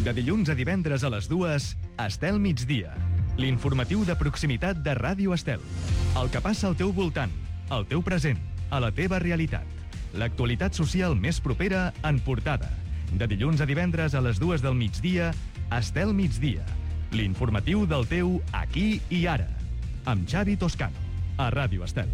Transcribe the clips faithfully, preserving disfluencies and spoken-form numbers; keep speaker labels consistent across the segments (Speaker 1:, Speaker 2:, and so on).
Speaker 1: De dilluns a divendres a les dues, Estel Migdia. L'informatiu de proximitat de Ràdio Estel. El que passa al teu voltant, al teu present, a la teva realitat. L'actualitat social més propera en portada. De dilluns a divendres a les dues del migdia, Estel Migdia. L'informatiu del teu aquí i ara. Amb Xavi Toscano, a Ràdio Estel.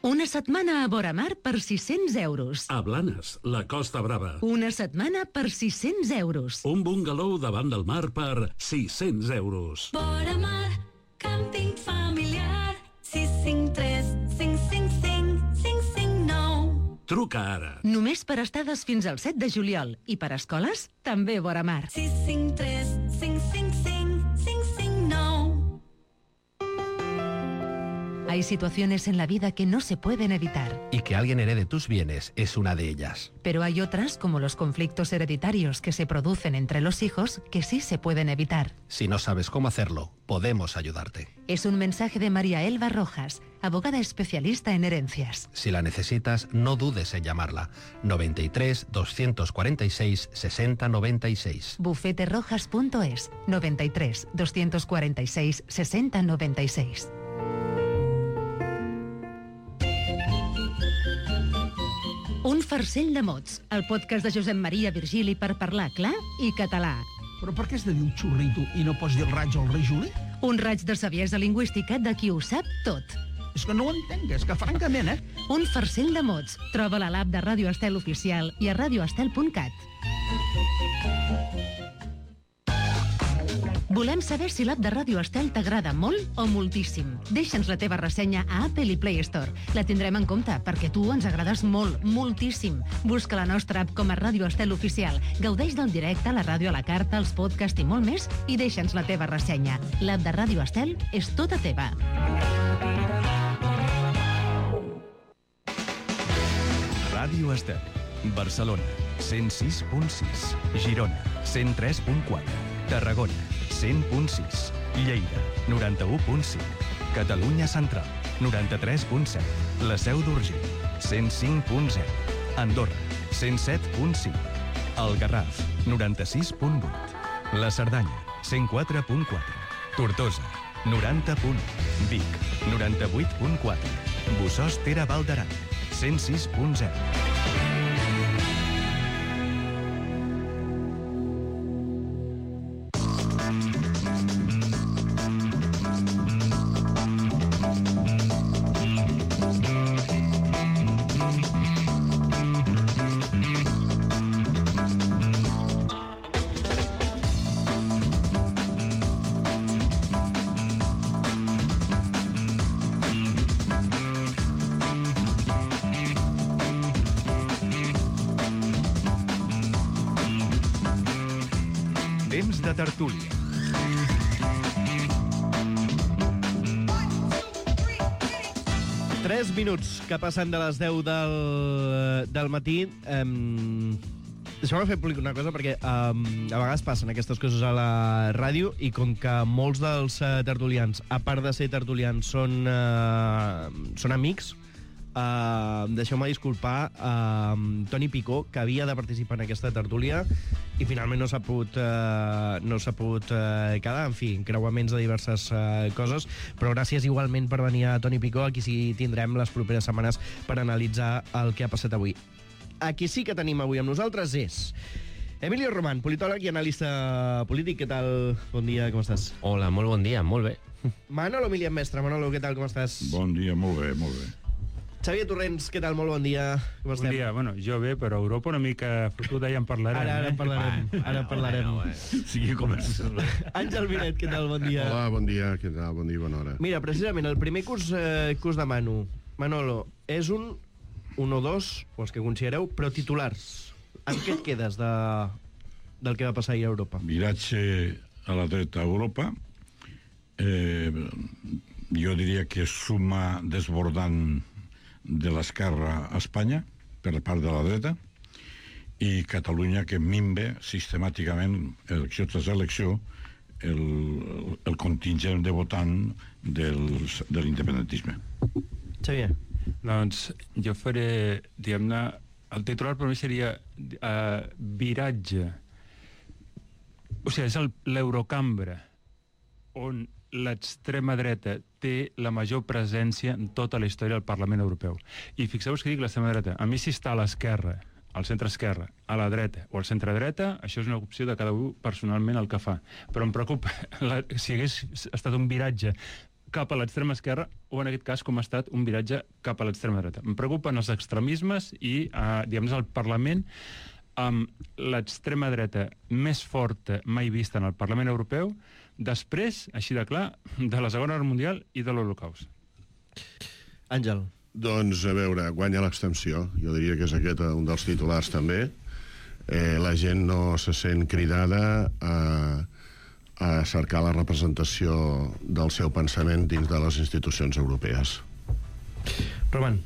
Speaker 2: Una setmana a Voramar per sis-cents euros.
Speaker 3: A Blanes, la Costa Brava.
Speaker 2: Una setmana per sis-cents euros.
Speaker 3: Un bungalow davant del mar per sis-cents euros.
Speaker 4: Voramar, càmping familiar, sis cinc tres cinc cinc cinc cinc cinc nou.
Speaker 3: Truca ara.
Speaker 2: Només per estades fins al set de juliol. I per escoles, també Voramar.
Speaker 4: sis cinc tres cinc cinc cinc cinc cinc nou.
Speaker 2: Hay situaciones en la vida que no se pueden evitar.
Speaker 5: Y que alguien herede tus bienes es una de ellas.
Speaker 2: Pero hay otras, como los conflictos hereditarios que se producen entre los hijos, que sí se pueden evitar.
Speaker 5: Si no sabes cómo hacerlo, podemos ayudarte.
Speaker 2: Es un mensaje de María Elba Rojas, abogada especialista en herencias.
Speaker 5: Si la necesitas, no dudes en llamarla. noventa y tres, doscientos cuarenta y seis, sesenta noventa y seis.
Speaker 2: bufete rojas punto es, noventa y tres, doscientos cuarenta y seis, sesenta noventa y seis. Un farcell de mots, el podcast de Josep Maria Virgili per parlar clar i català.
Speaker 6: Però per què has de dir un xurrito i no pots dir el raig al rei Juli?
Speaker 2: Un raig de saviesa lingüística de qui ho sap tot.
Speaker 6: És que no ho entenc, és que francament, eh?
Speaker 2: Un farcell de mots. Troba-la a l'app de Ràdio Estel Oficial i a radioestel punt cat. Volem saber si l'app de Ràdio Estel t'agrada molt o moltíssim. Deixa'ns la teva ressenya a Apple i Play Store. La tindrem en compte, perquè tu ens agrades molt, moltíssim. Busca la nostra app com a Ràdio Estel Oficial. Gaudeix del directe, la ràdio a la carta, els podcasts i molt més, i deixa'ns la teva ressenya. L'app de Ràdio Estel és tota teva.
Speaker 1: Ràdio Estel. Barcelona, cent sis punt sis. Girona, cent tres punt quatre. Tarragona, cent punt sis. Lleida, noranta-u punt cinc. Catalunya Central, noranta-tres punt set. La Seu d'Urgell, cent cinc punt zero. Andorra, cent set punt cinc. El Garraf, noranta-sis punt vuit. La Cerdanya, cent quatre punt quatre. Tortosa, noranta punt u. Vic, noranta-vuit punt quatre. Bossòst Ter Val d'Aran, cent sis punt zero. Temps de tertúlia.
Speaker 7: Tres minuts que passen de les deu del, del matí. Um, Deixeu-me fer públic una cosa, perquè um, a vegades passen aquestes coses a la ràdio i com que molts dels uh, tertulians, a part de ser tertulians, són, uh, són amics, uh, deixeu-me disculpar uh, Toni Picó, que havia de participar en aquesta tertúlia i finalment no s'ha pogut, uh, no s'ha pogut uh, quedar, en fi, creuaments de diverses uh, coses, però gràcies igualment per venir a Toni Picó, aquí sí tindrem les properes setmanes per analitzar el que ha passat avui. A qui sí que tenim avui amb nosaltres és Emilio Román, politòleg i analista polític. Què tal? Bon dia, com estàs?
Speaker 8: Hola, molt bon dia, molt bé.
Speaker 7: Manolo Milian Mestre. Manolo, què tal, com estàs?
Speaker 9: Bon dia, molt bé, molt bé.
Speaker 7: Xavier Torrents, què tal? Molt bon dia. Com estem?
Speaker 10: Bon dia, bueno, jo bé, però Europa una mica fotuda, ja en parlarem.
Speaker 7: Ara, ara en parlarem,
Speaker 10: eh?
Speaker 7: ara en parlarem.
Speaker 10: Bueno, bueno.
Speaker 9: Sí, comença.
Speaker 7: Àngel Vinet, què tal? Bon dia.
Speaker 11: Hola, bon dia, què tal? Bon dia, bona hora.
Speaker 7: Mira, precisament, el primer que us, eh, que us demano, Manolo, és un, un o dos, o els que considereu, però titulars. Amb què et quedes de, del que va passar ahir a Europa?
Speaker 9: Viratge a la dreta a Europa. Eh, jo diria que suma desbordant de l'esquerra a Espanya per part de la dreta i Catalunya que minve sistemàticament elecció tras elecció el, el contingent de votant dels, de l'independentisme.
Speaker 7: Xavier.
Speaker 10: Doncs jo faré, diguem-ne, el titular per mi seria uh, viratge. O sigui, és el- l'Eurocambra on l'extrema dreta té la major presència en tota la història del Parlament Europeu. I fixeu-vos que dic l'extrema dreta. A mi, si està a l'esquerra, al centre-esquerra, a la dreta o al centre-dreta, això és una opció de cada un personalment el que fa. Però em preocupa la, si hagués estat un viratge cap a l'extrema esquerra o, en aquest cas, com ha estat un viratge cap a l'extrema dreta. Em preocupen els extremismes i, eh, diguem-ne, el Parlament amb l'extrema dreta més forta mai vista en el Parlament Europeu, després, així de clar, de la Segona Guerra Mundial i de l'Holocaust.
Speaker 7: Àngel.
Speaker 11: Doncs, a veure, guanya l'abstenció. Jo diria que és aquest un dels titulars, també. Eh, la gent no se sent cridada a, a cercar la representació del seu pensament dins de les institucions europees.
Speaker 7: Roman.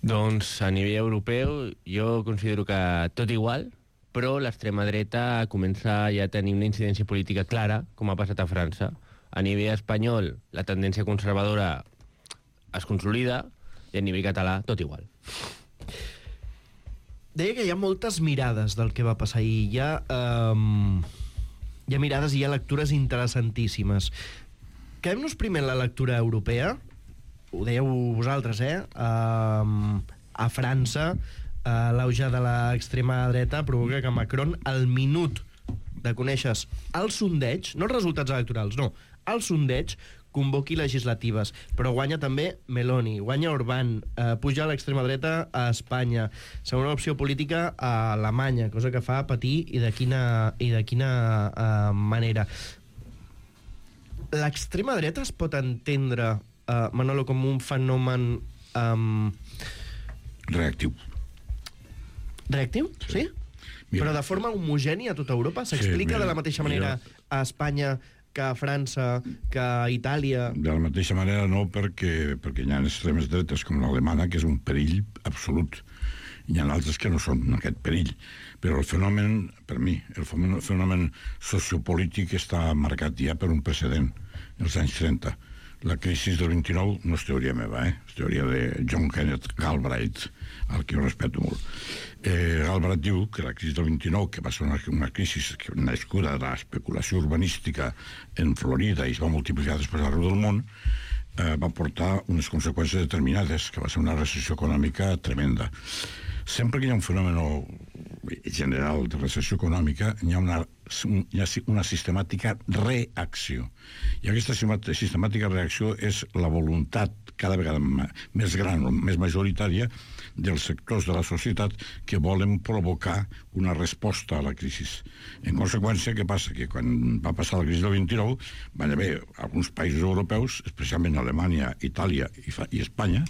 Speaker 8: Doncs a nivell europeu jo considero que tot igual, però l'extrema dreta comença ja a tenir una incidència política clara, com ha passat a França. A nivell espanyol, la tendència conservadora es consolida, i a nivell català, tot igual.
Speaker 7: Deia que hi ha moltes mirades del que va passar ahir. Hi ha, um, hi ha mirades i hi ha lectures interessantíssimes. Quedem-nos primer en la lectura europea. Ho dèieu vosaltres, eh? Um, a França, uh, l'auge de l'extrema dreta provoca que Macron, al minut de conèixer el sondeig, no els resultats electorals, no, el sondeig, convoqui legislatives, però guanya també Meloni, guanya Orbán, eh, puja a l'extrema dreta a Espanya, segona opció política a Alemanya, cosa que fa patir i de quina, i de quina eh, manera. L'extrema dreta es pot entendre, eh, Manolo, com un fenomen um...
Speaker 9: reactiu.
Speaker 7: Reactiu? Sí? sí?
Speaker 9: Mira.
Speaker 7: Però de forma homogènia a tota Europa? S'explica sí, de la mateixa manera
Speaker 9: mira.
Speaker 7: a Espanya que a França, que a Itàlia?
Speaker 9: De la mateixa manera no, perquè, perquè hi ha extremes dretes com l'alemana, que és un perill absolut. Hi ha altres que no són aquest perill. Però el fenomen, per mi, el fenomen sociopolític està marcat ja per un precedent, els anys trenta. La crisi del vint-i-nou no és teoria meva, eh? És teoria de John Kenneth Galbraith, al que jo respeto molt. Eh, Galbraith diu que la crisi del vint-i-nou, que va ser una, una crisi nascuda de l'especulació urbanística en Florida i es va multiplicar després arreu del món, eh, va portar unes conseqüències determinades, que va ser una recessió econòmica tremenda. Sempre que hi ha un fenomen general de recessió econòmica, hi ha una, hi ha una sistemàtica reacció. I aquesta sistemàtica reacció és la voluntat cada vegada més gran o més majoritària dels sectors de la societat que volen provocar una resposta a la crisi. En conseqüència, què passa? Que quan va passar la crisi del vint-i-nou van haver alguns països europeus, especialment Alemanya, Itàlia i, i Espanya,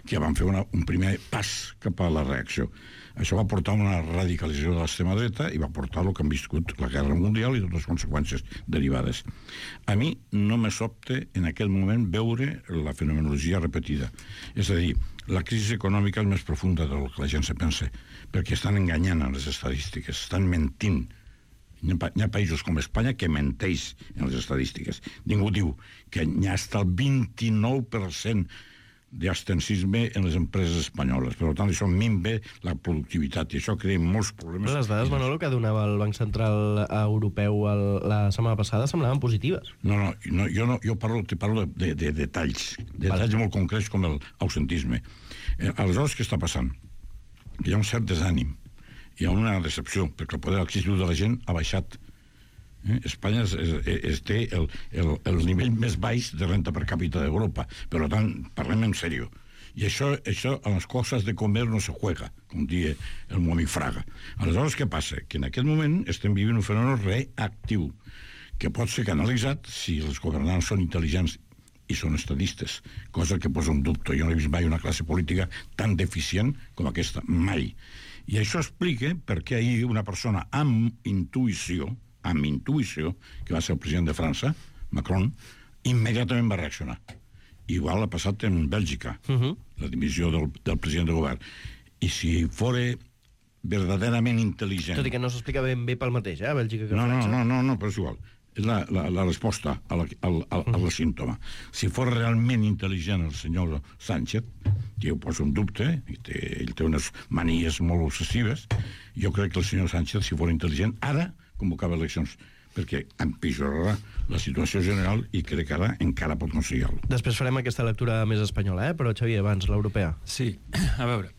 Speaker 9: que van fer una, un primer pas cap a la reacció. Això va portar una radicalització de l'extrema dreta i va portar el que han viscut la Guerra Mundial i totes les conseqüències derivades. A mi no me sobte en aquell moment veure la fenomenologia repetida. És a dir, la crisi econòmica és més profunda del que la gent se pensa, perquè estan enganyant en les estadístiques, estan mentint. Hi ha, hi ha països com Espanya que menteix en les estadístiques. Ningú diu que hi ha hasta el vint-i-nou per cent d'abstencisme en les empreses espanyoles. Per tant, això minva la productivitat i això crea molts problemes.
Speaker 7: Les dades, Manolo, que donava el Banc Central Europeu el, la setmana passada semblaven positives.
Speaker 9: No, no, no jo, no, jo parlo, te parlo de, de, de detalls, de detalls vale. molt concrets com el ausentisme. Eh, aleshores, què està passant? Hi ha un cert desànim, hi ha una decepció, perquè el poder adquisitiu de la gent ha baixat. Eh? Espanya es, es, es té el, el, el nivell més baix de renta per càpita d'Europa. Per tant, parlem en sèrio. I això, això a les coses de comer no se juega, com diu el meu amic Fraga. Aleshores, què passa? Que en aquest moment estem vivint un fenomen reactiu, que pot ser canalitzat si els governants són intel·ligents i són estadistes, cosa que posa un dubte. Jo no he vist mai una classe política tan deficient com aquesta, mai. I això explica per què ahir una persona amb intuïció, amb intuïció, que va ser el president de França, Macron, immediatament va reaccionar. Igual ha passat en Bèlgica, uh-huh. la dimissió del, del president de govern. I si fora verdaderament intel·ligent...
Speaker 7: Tot i que no s'explica ben bé pel mateix, eh, a Bèlgica que
Speaker 9: no,
Speaker 7: França.
Speaker 9: No, no, no, no, però és igual. És la, la, la resposta al, al, al, al símptoma. Si fos realment intel·ligent el senyor Sánchez, jo ho poso en dubte, i té, ell té unes manies molt obsessives. Jo crec que el senyor Sánchez, si fos intel·ligent, ara convocava eleccions, perquè empitjorarà la situació general i crec que ara encara pot aconseguir-lo.
Speaker 7: Després farem aquesta lectura més espanyola, eh? Però, Xavier, abans, l'europea.
Speaker 10: Sí, a veure,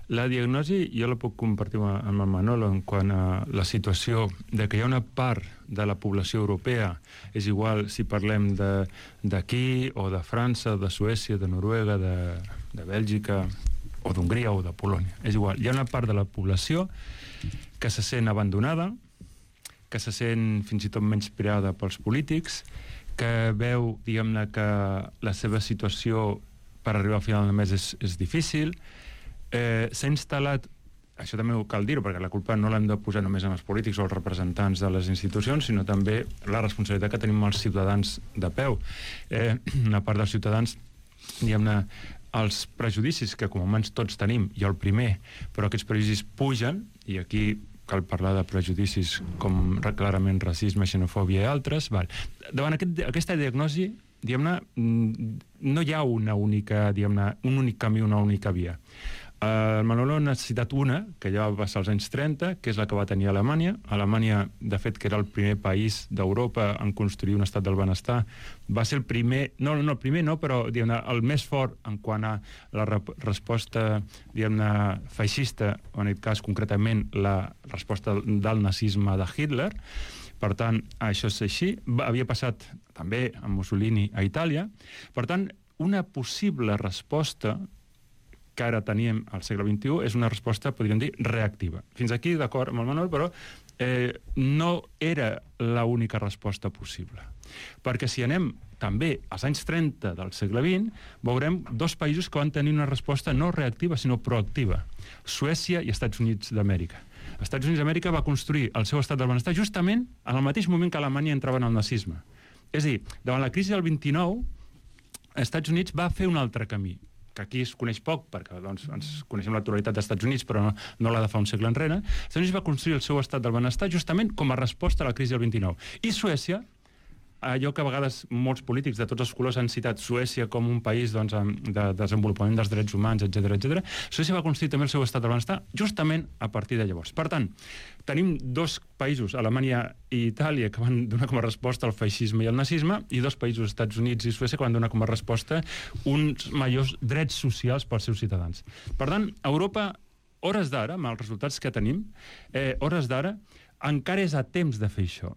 Speaker 10: la diagnosi jo la puc compartir amb el Manolo en quant a la situació de que hi ha una part de la població europea, és igual si parlem d'aquí o de França, de Suècia, de Noruega, de, de Bèlgica o d'Hongria o de Polònia, és igual. Hi ha una part de la població que se sent abandonada, que se sent fins i tot menyspreada pels polítics, que veu, diguem-ne, que la seva situació per arribar al final del mes és, és difícil. Eh, s'ha instal·lat, això també ho cal dir-ho, perquè la culpa no l'hem de posar només en els polítics o els representants de les institucions, sinó també la responsabilitat que tenim els ciutadans de peu. Eh, una part dels ciutadans, diguem-ne, els prejudicis que com a humans tots tenim, jo el primer, però aquests prejudicis pugen, i aquí cal parlar de prejudicis com clarament racisme, xenofòbia i altres. Val. Davant aquest, aquesta diagnosi, diguem-ne, no hi ha una única, diguem-ne, un únic camí, una única via. El Manolo ha citat una, que ja va passar als anys trenta, que és la que va tenir Alemanya. Alemanya, de fet, que era el primer país d'Europa en construir un estat del benestar, va ser el primer, no, no el primer no, però diguem-ne, el més fort en quant a la rep resposta, diguem-ne, feixista, o en aquest cas concretament la resposta del nazisme de Hitler. Per tant, això és així. Havia passat també amb Mussolini a Itàlia. Per tant, una possible resposta que ara teníem al segle vint-i-u és una resposta, podríem dir, reactiva. Fins aquí, d'acord amb el Manuel, però eh, no era l'única resposta possible. Perquè si anem també als anys trenta del segle vint, veurem dos països que van tenir una resposta no reactiva, sinó proactiva. Suècia i Estats Units d'Amèrica. Estats Units d'Amèrica va construir el seu estat del benestar justament en el mateix moment que Alemanya entrava en el nazisme. És a dir, davant la crisi del vint-i-nou, Estats Units va fer un altre camí, que aquí es coneix poc, perquè doncs, ens coneixem l'actualitat dels Estats Units, però no, no la de fa un segle enrere. Estats Units va construir el seu estat del benestar justament com a resposta a la crisi del vint-i-nou. I Suècia, allò que a vegades molts polítics de tots els colors han citat Suècia com un país doncs, de desenvolupament dels drets humans, etcètera, etcètera, Suècia va construir també el seu estat del benestar justament a partir de llavors. Per tant, tenim dos països, Alemanya i Itàlia, que van donar com a resposta al feixisme i al nazisme, i dos països, Estats Units i Suècia, que van donar com a resposta uns majors drets socials pels seus ciutadans. Per tant, Europa, hores d'ara, amb els resultats que tenim, eh, hores d'ara, encara és a temps de fer això.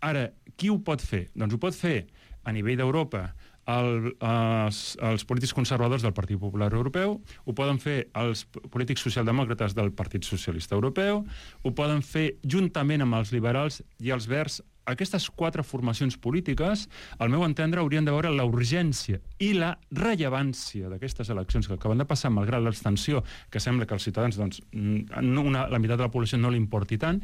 Speaker 10: Ara, qui ho pot fer? Doncs ho pot fer a nivell d'Europa el, els, els polítics conservadors del Partit Popular Europeu, ho poden fer els polítics socialdemòcrates del Partit Socialista Europeu, ho poden fer juntament amb els liberals i els verds. Aquestes quatre formacions polítiques, al meu entendre, haurien de veure la urgència i la rellevància d'aquestes eleccions que acaben de passar, malgrat l'abstenció, que sembla que als ciutadans doncs, una, la meitat de la població no li importi tant,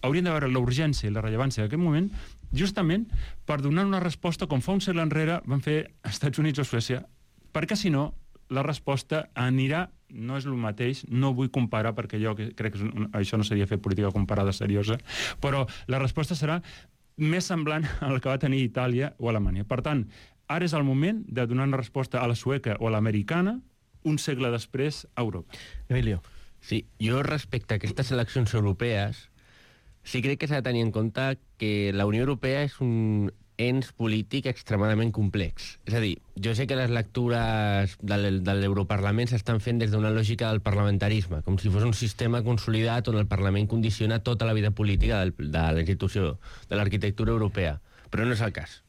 Speaker 10: haurien de veure la urgència i la rellevància d'aquest moment justament per donar una resposta com fa un segle enrere van fer Estats Units o Suècia, perquè si no la resposta anirà, no és el mateix, no vull comparar perquè jo crec que això no seria fer política comparada seriosa, però la resposta serà més semblant al que va tenir Itàlia o Alemanya. Per tant, ara és el moment de donar una resposta a la sueca o a l'americana un segle després a Europa.
Speaker 7: Emilio.
Speaker 8: Sí, jo respecte a aquestes eleccions europees sí crec que s'ha de tenir en compte que la Unió Europea és un ens polític extremadament complex. És a dir, jo sé que les lectures de l'Europarlament s'estan fent des d'una lògica del parlamentarisme, com si fos un sistema consolidat on el Parlament condiciona tota la vida política del, de la institució, de l'arquitectura europea. Però no és el cas,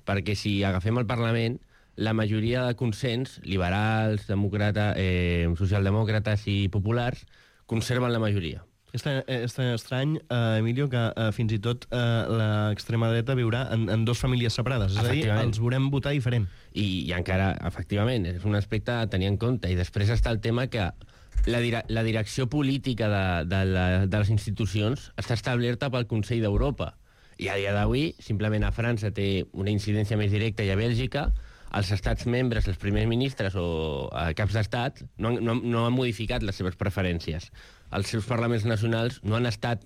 Speaker 8: perquè si agafem el Parlament, la majoria de consens, liberals, demòcrata, eh, socialdemòcrates i populars, conserven la majoria.
Speaker 7: És tan, és tan estrany, uh, Emilio, que uh, fins i tot uh, l'extrema dreta viurà en, en dues famílies separades. És a dir, els veurem votar diferent.
Speaker 8: I, I encara, efectivament, és un aspecte a tenir en compte. I després està el tema que la, dire la direcció política de, de, la, de les institucions està establerta pel Consell d'Europa. I a dia d'avui, simplement a França té una incidència més directa i a Bèlgica els estats membres, els primers ministres o caps d'estat no, no, no han modificat les seves preferències. Els seus parlaments nacionals no han estat...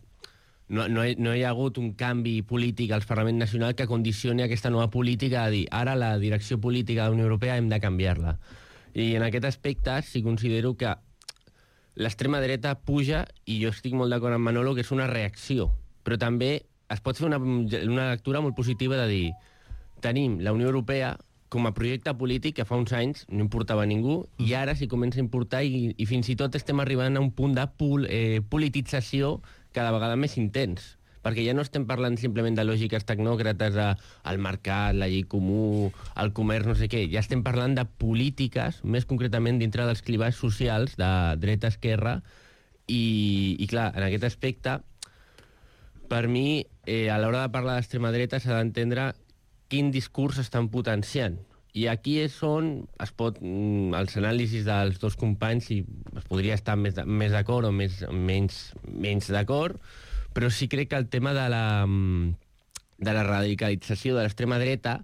Speaker 8: No, no, hi, no hi ha hagut un canvi polític als parlaments nacionals que condicioni aquesta nova política a dir ara la direcció política de la Unió Europea hem de canviar-la. I en aquest aspecte sí considero que l'extrema dreta puja, i jo estic molt d'acord amb Manolo, que és una reacció. Però també es pot fer una, una lectura molt positiva de dir tenim la Unió Europea com a projecte polític que fa uns anys no importava a ningú, i ara s'hi comença a importar, i, i fins i tot estem arribant a un punt de pol, eh, politització cada vegada més intens. Perquè ja no estem parlant simplement de lògiques tecnòcrates, al mercat, la llei comú, el comerç, no sé què. Ja estem parlant de polítiques, més concretament dintre dels clivats socials, de dreta-esquerra, i, i clar, en aquest aspecte, per mi, eh, a l'hora de parlar d'extrema dreta s'ha d'entendre quin discurs estan potenciant. I aquí és on es pot, els anàlisis dels dos companys, si es podria estar més, més d'acord o més, menys, menys d'acord, però sí crec que el tema de la, de la radicalització de l'extrema dreta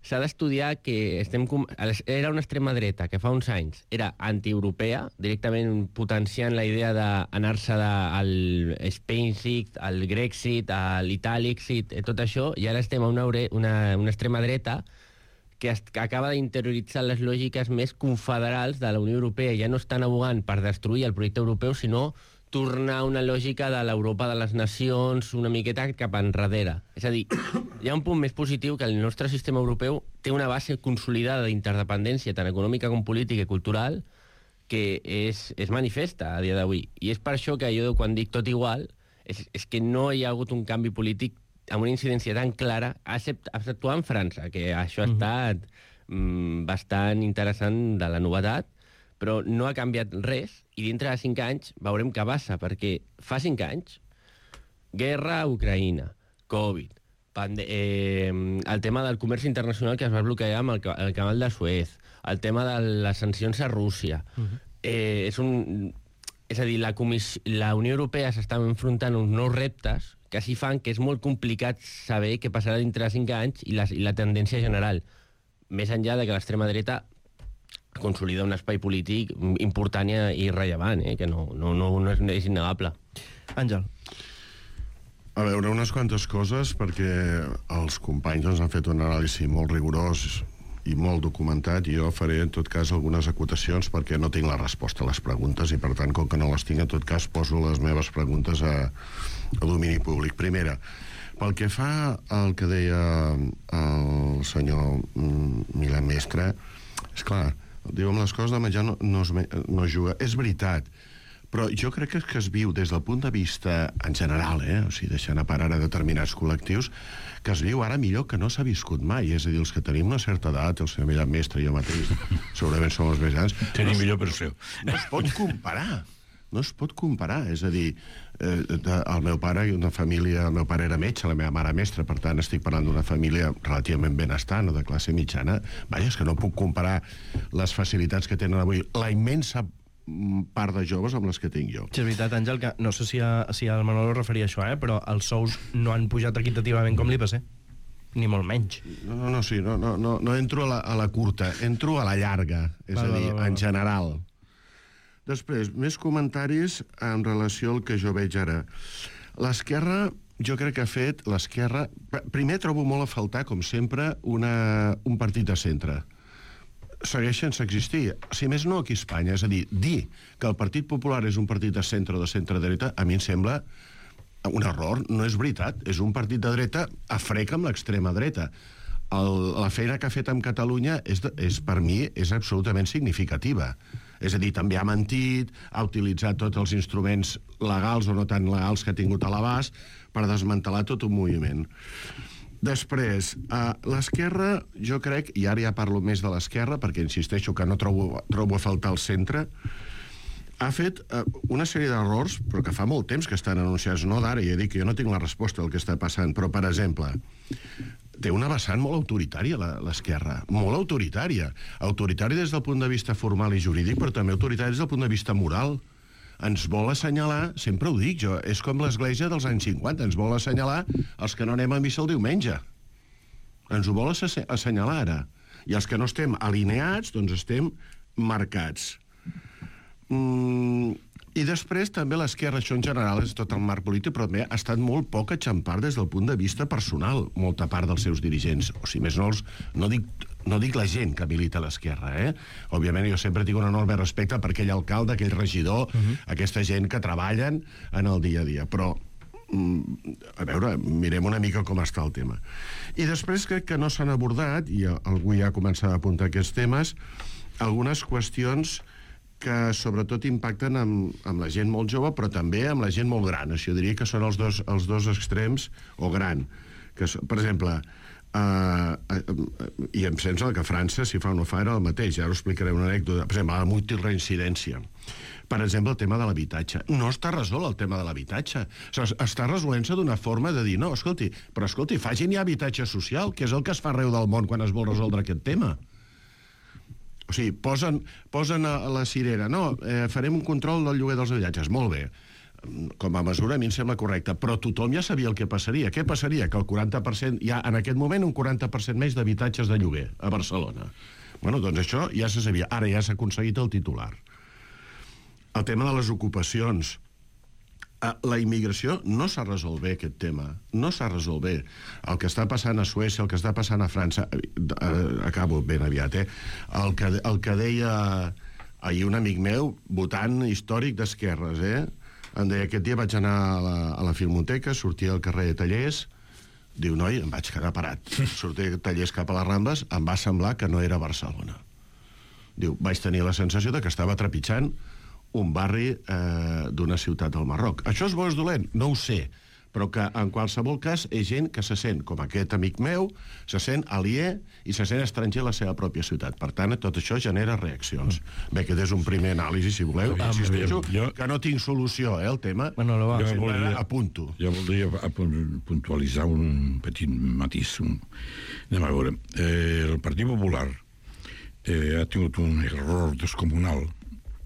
Speaker 8: s'ha d'estudiar que estem, era una extrema dreta que fa uns anys era antieuropea, directament potenciant la idea d'anar-se al Spainexit, al Grexit, a l'Italixit, tot això, i ara estem a una, una, una extrema dreta que, es, que acaba d'interioritzar les lògiques més confederals de la Unió Europea. Ja no estan abogant per destruir el projecte europeu, sinó tornar a una lògica de l'Europa de les nacions una miqueta cap enrere. És a dir, hi ha un punt més positiu, que el nostre sistema europeu té una base consolidada d'interdependència tant econòmica com política i cultural que és, és manifesta a dia d'avui. I és per això que jo, quan dic tot igual, és, és que no hi ha hagut un canvi polític amb una incidència tan clara, exceptuant en França, que això ha estat mm, bastant interessant de la novetat, però no ha canviat res, i dintre de cinc anys veurem què passa, perquè fa cinc anys, guerra a Ucraïna, Covid, eh, el tema del comerç internacional que es va bloquejar amb el, el canal de Suez, el tema de les sancions a Rússia. Uh-huh. eh, és, un, és a dir, la, comiss... la Unió Europea s'està enfrontant uns nous reptes que així fan que és molt complicat saber què passarà dintre de cinc anys i la, i la tendència general, més enllà de que l'extrema dreta consolida un espai polític important i rellevant, eh? Que no, no, no, no és, és innegable.
Speaker 7: Àngel.
Speaker 11: A veure, unes quantes coses, perquè els companys ens han fet un anàlisi molt rigorós i molt documentat, i jo faré, en tot cas, algunes acotacions perquè no tinc la resposta a les preguntes i, per tant, com que no les tinc, en tot cas, poso les meves preguntes a, a domini públic. Primera, pel que fa al que deia el senyor Milan Mestre, és clar, diu, amb les coses de menjar no, no, es, no es juga. És veritat, però jo crec que, que es viu des del punt de vista en general, eh? O sigui, deixant a part ara determinats col·lectius, que es viu ara millor que no s'ha viscut mai. És a dir, els que tenim una certa edat, el senyor Milan Mestre i jo mateix, segurament som els més grans...
Speaker 9: Tenim no, millor per seu.
Speaker 11: No es pot comparar. No es pot comparar. És a dir, eh, el meu pare, una família... El meu pare era metge, la meva mare mestra, per tant, estic parlant d'una família relativament benestant o de classe mitjana. Vaja, és que no puc comparar les facilitats que tenen avui la immensa part de joves amb les que tinc jo.
Speaker 7: Sí, és veritat, Àngel, que no sé si, a, si el Manolo referia a això, eh? Però els sous no han pujat equitativament com l'I P C. Ni molt menys.
Speaker 11: No, no, no, sí, no, no, no, no entro a la, a la curta, entro a la llarga, és va, a dir, va, va, va. en general. Després, més comentaris en relació al que jo veig ara. L'esquerra, jo crec que ha fet l'esquerra... Primer trobo molt a faltar, com sempre, una, un partit de centre. Segueixen sense existir. Si més no, aquí a Espanya. És a dir, dir que el Partit Popular és un partit de centre o de centre-dreta, a mi em sembla un error. No és veritat. És un partit de dreta a frec amb l'extrema dreta. El, la feina que ha fet amb Catalunya és, de, és, per mi, és absolutament significativa. És a dir, també ha mentit, ha utilitzat tots els instruments legals o no tan legals que ha tingut a l'abast per desmantelar tot un moviment. Després, uh, l'esquerra, jo crec, i ara ja parlo més de l'esquerra, perquè insisteixo que no trobo, trobo a faltar el centre, ha fet uh, una sèrie d'errors, però que fa molt temps que estan anunciats, no d'ara, ja dic que jo no tinc la resposta del que està passant, però, per exemple, té una vessant molt autoritària, l'esquerra, molt autoritària. Autoritària des del punt de vista formal i jurídic, però també autoritària des del punt de vista moral. Ens vol assenyalar, sempre ho dic jo, és com l'església dels anys cinquanta, ens vol assenyalar els que no anem a missa el diumenge. Ens ho vol assenyalar ara. I els que no estem alineats, doncs estem marcats. Mm, I després també l'esquerra, això en general és tot el marc polític, però també ha estat molt poc a xampar des del punt de vista personal, molta part dels seus dirigents. O si més no, els, no dic no dic la gent que milita a l'esquerra, eh? Òbviament jo sempre tinc un enorme respecte per aquell alcalde, aquell regidor, uh-huh. aquesta gent que treballen en el dia a dia, però a veure, mirem una mica com està el tema. I després crec que no s'han abordat, i algú ja ha començat a apuntar aquests temes, algunes qüestions que sobretot impacten amb, amb la gent molt jove, però també amb la gent molt gran. Això diria que són els dos, els dos extrems, o gran. Que, per exemple, uh, uh, i em sembla que a França, si fa o no fa, era el mateix. Ara us explicaré una anècdota. Per exemple, la multireincidència. Per exemple, el tema de l'habitatge. No està resolt el tema de l'habitatge. O sigui, està resolent-se d'una forma de dir, no, escolti, però escolti, facin ja habitatge social, que és el que es fa arreu del món quan es vol resoldre aquest tema. O sigui, posen, posen a la cirera, no, eh, farem un control del lloguer dels habitatges. Molt bé. Com a mesura a mi em sembla correcte, però tothom ja sabia el que passaria. Què passaria? Que el quaranta per cent, hi ha en aquest moment un quaranta per cent més d'habitatges de lloguer a Barcelona. Bueno, doncs això ja se sabia. Ara ja s'ha aconseguit el titular. El tema de les ocupacions. La immigració no s'ha resolt bé, aquest tema. No s'ha resolt bé. El que està passant a Suècia, el que està passant a França... Acabo ben aviat, eh? El que, el que deia ahir un amic meu, votant històric d'esquerres, eh? Em deia, aquest dia vaig anar a la, a la Filmoteca, sortia al carrer de Tallers, diu, noi, em vaig quedar parat. Sortia de Tallers cap a les Rambles, em va semblar que no era Barcelona. Diu, vaig tenir la sensació de que estava trepitjant un barri eh, d'una ciutat del Marroc. Això és bo o és dolent? No ho sé, però que en qualsevol cas és gent que se sent, com aquest amic meu, se sent aliè i se sent estranger a la seva pròpia ciutat. Per tant, tot això genera reaccions. Bé, aquest és un primer anàlisi, si voleu. Ah, insisteixo jo, que no tinc solució, eh, el tema.
Speaker 7: Manolo, va.
Speaker 9: Jo voldria,
Speaker 11: apunto.
Speaker 9: Jo voldria puntualitzar un petit matís. Un... Anem a veure. Eh, el Partit Popular eh, ha tingut un error descomunal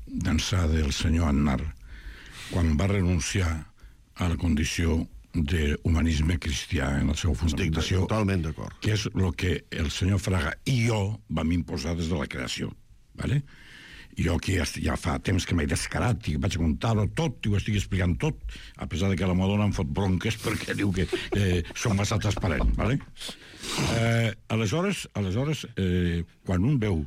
Speaker 9: d'ençà del senyor Aznar quan va renunciar a la condició d'humanisme cristià en la seva fundamentació.
Speaker 11: Estic totalment d'acord.
Speaker 9: Que és el que el senyor Fraga i jo vam imposar des de la creació. Vale? Jo aquí ja fa temps que m'he descarat i vaig contar-ho tot i ho estic explicant tot, a pesar de que la Madonna em fot bronques perquè diu que eh, som massa transparent. Vale? Eh, aleshores, aleshores eh, quan un veu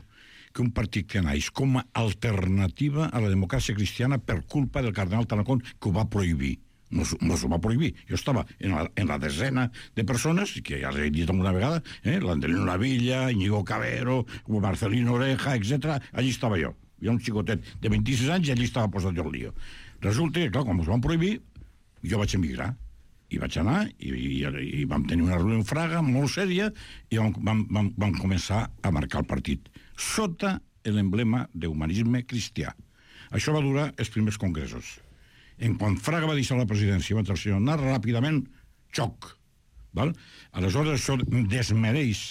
Speaker 9: que un partit que naix com a alternativa a la democràcia cristiana per culpa del cardenal Tarancón, que ho va prohibir. No, no s'ho va prohibir. Jo estava en la, en la desena de persones, que ja l'he dit una vegada, eh? l'Andelino Lavilla, Íñigo Cabero, Marcelino Oreja, etcètera. Allí estava jo. Hi ha un xicotet de vint-i-sis anys i allí estava posat jo el lío. Resulta que, clar, quan us van prohibir, jo vaig emigrar. I vaig anar i, i, i vam tenir una reunió en Fraga molt sèria i vam, vam, vam, vam començar a marcar el partit sota l'emblema d'humanisme cristià. Això va durar els primers congressos. En quan Fraga va deixar la presidència i va entrar el senyor Aznar, ràpidament, xoc. Val? Aleshores això desmereix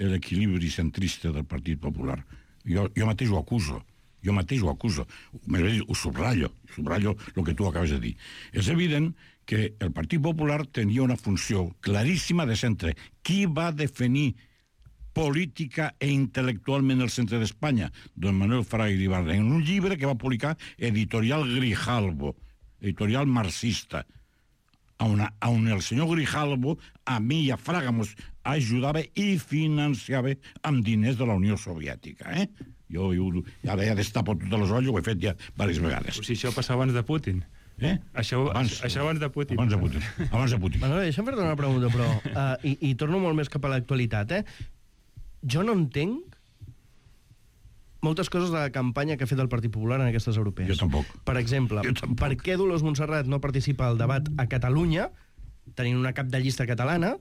Speaker 9: l'equilibri centrista del Partit Popular. Jo, jo mateix ho acuso. Jo mateix ho acuso. Ho subratllo. Subratllo el que tu acabes de dir. És evident que el Partit Popular tenia una funció claríssima de centre. Qui va definir política e intel·lectualment el centre d'Espanya? Don Manuel Fraga Iribarren, en un llibre que va publicar Editorial Grijalbo, editorial marxista, on, on el senyor Grijalbo a mi i a Fraga ens ajudava i financiava amb diners de la Unió Soviètica. Eh? Jo, jo ara ja destapo totes les olles, ho he fet ja diverses vegades.
Speaker 10: O sigui, això passava abans de Putin.
Speaker 9: Eh?
Speaker 10: Això abans, això abans de Putin.
Speaker 9: Abans de Putin. Abans de Putin.
Speaker 7: Bueno, deixa'm fer-te una pregunta, però... Uh, i, I torno molt més cap a l'actualitat, eh? Jo no entenc moltes coses de la campanya que ha fet el Partit Popular en aquestes europees.
Speaker 9: Jo tampoc.
Speaker 7: Per exemple,
Speaker 9: tampoc.
Speaker 7: per què Dolors Montserrat no participa al debat a Catalunya, tenint una cap de llista catalana,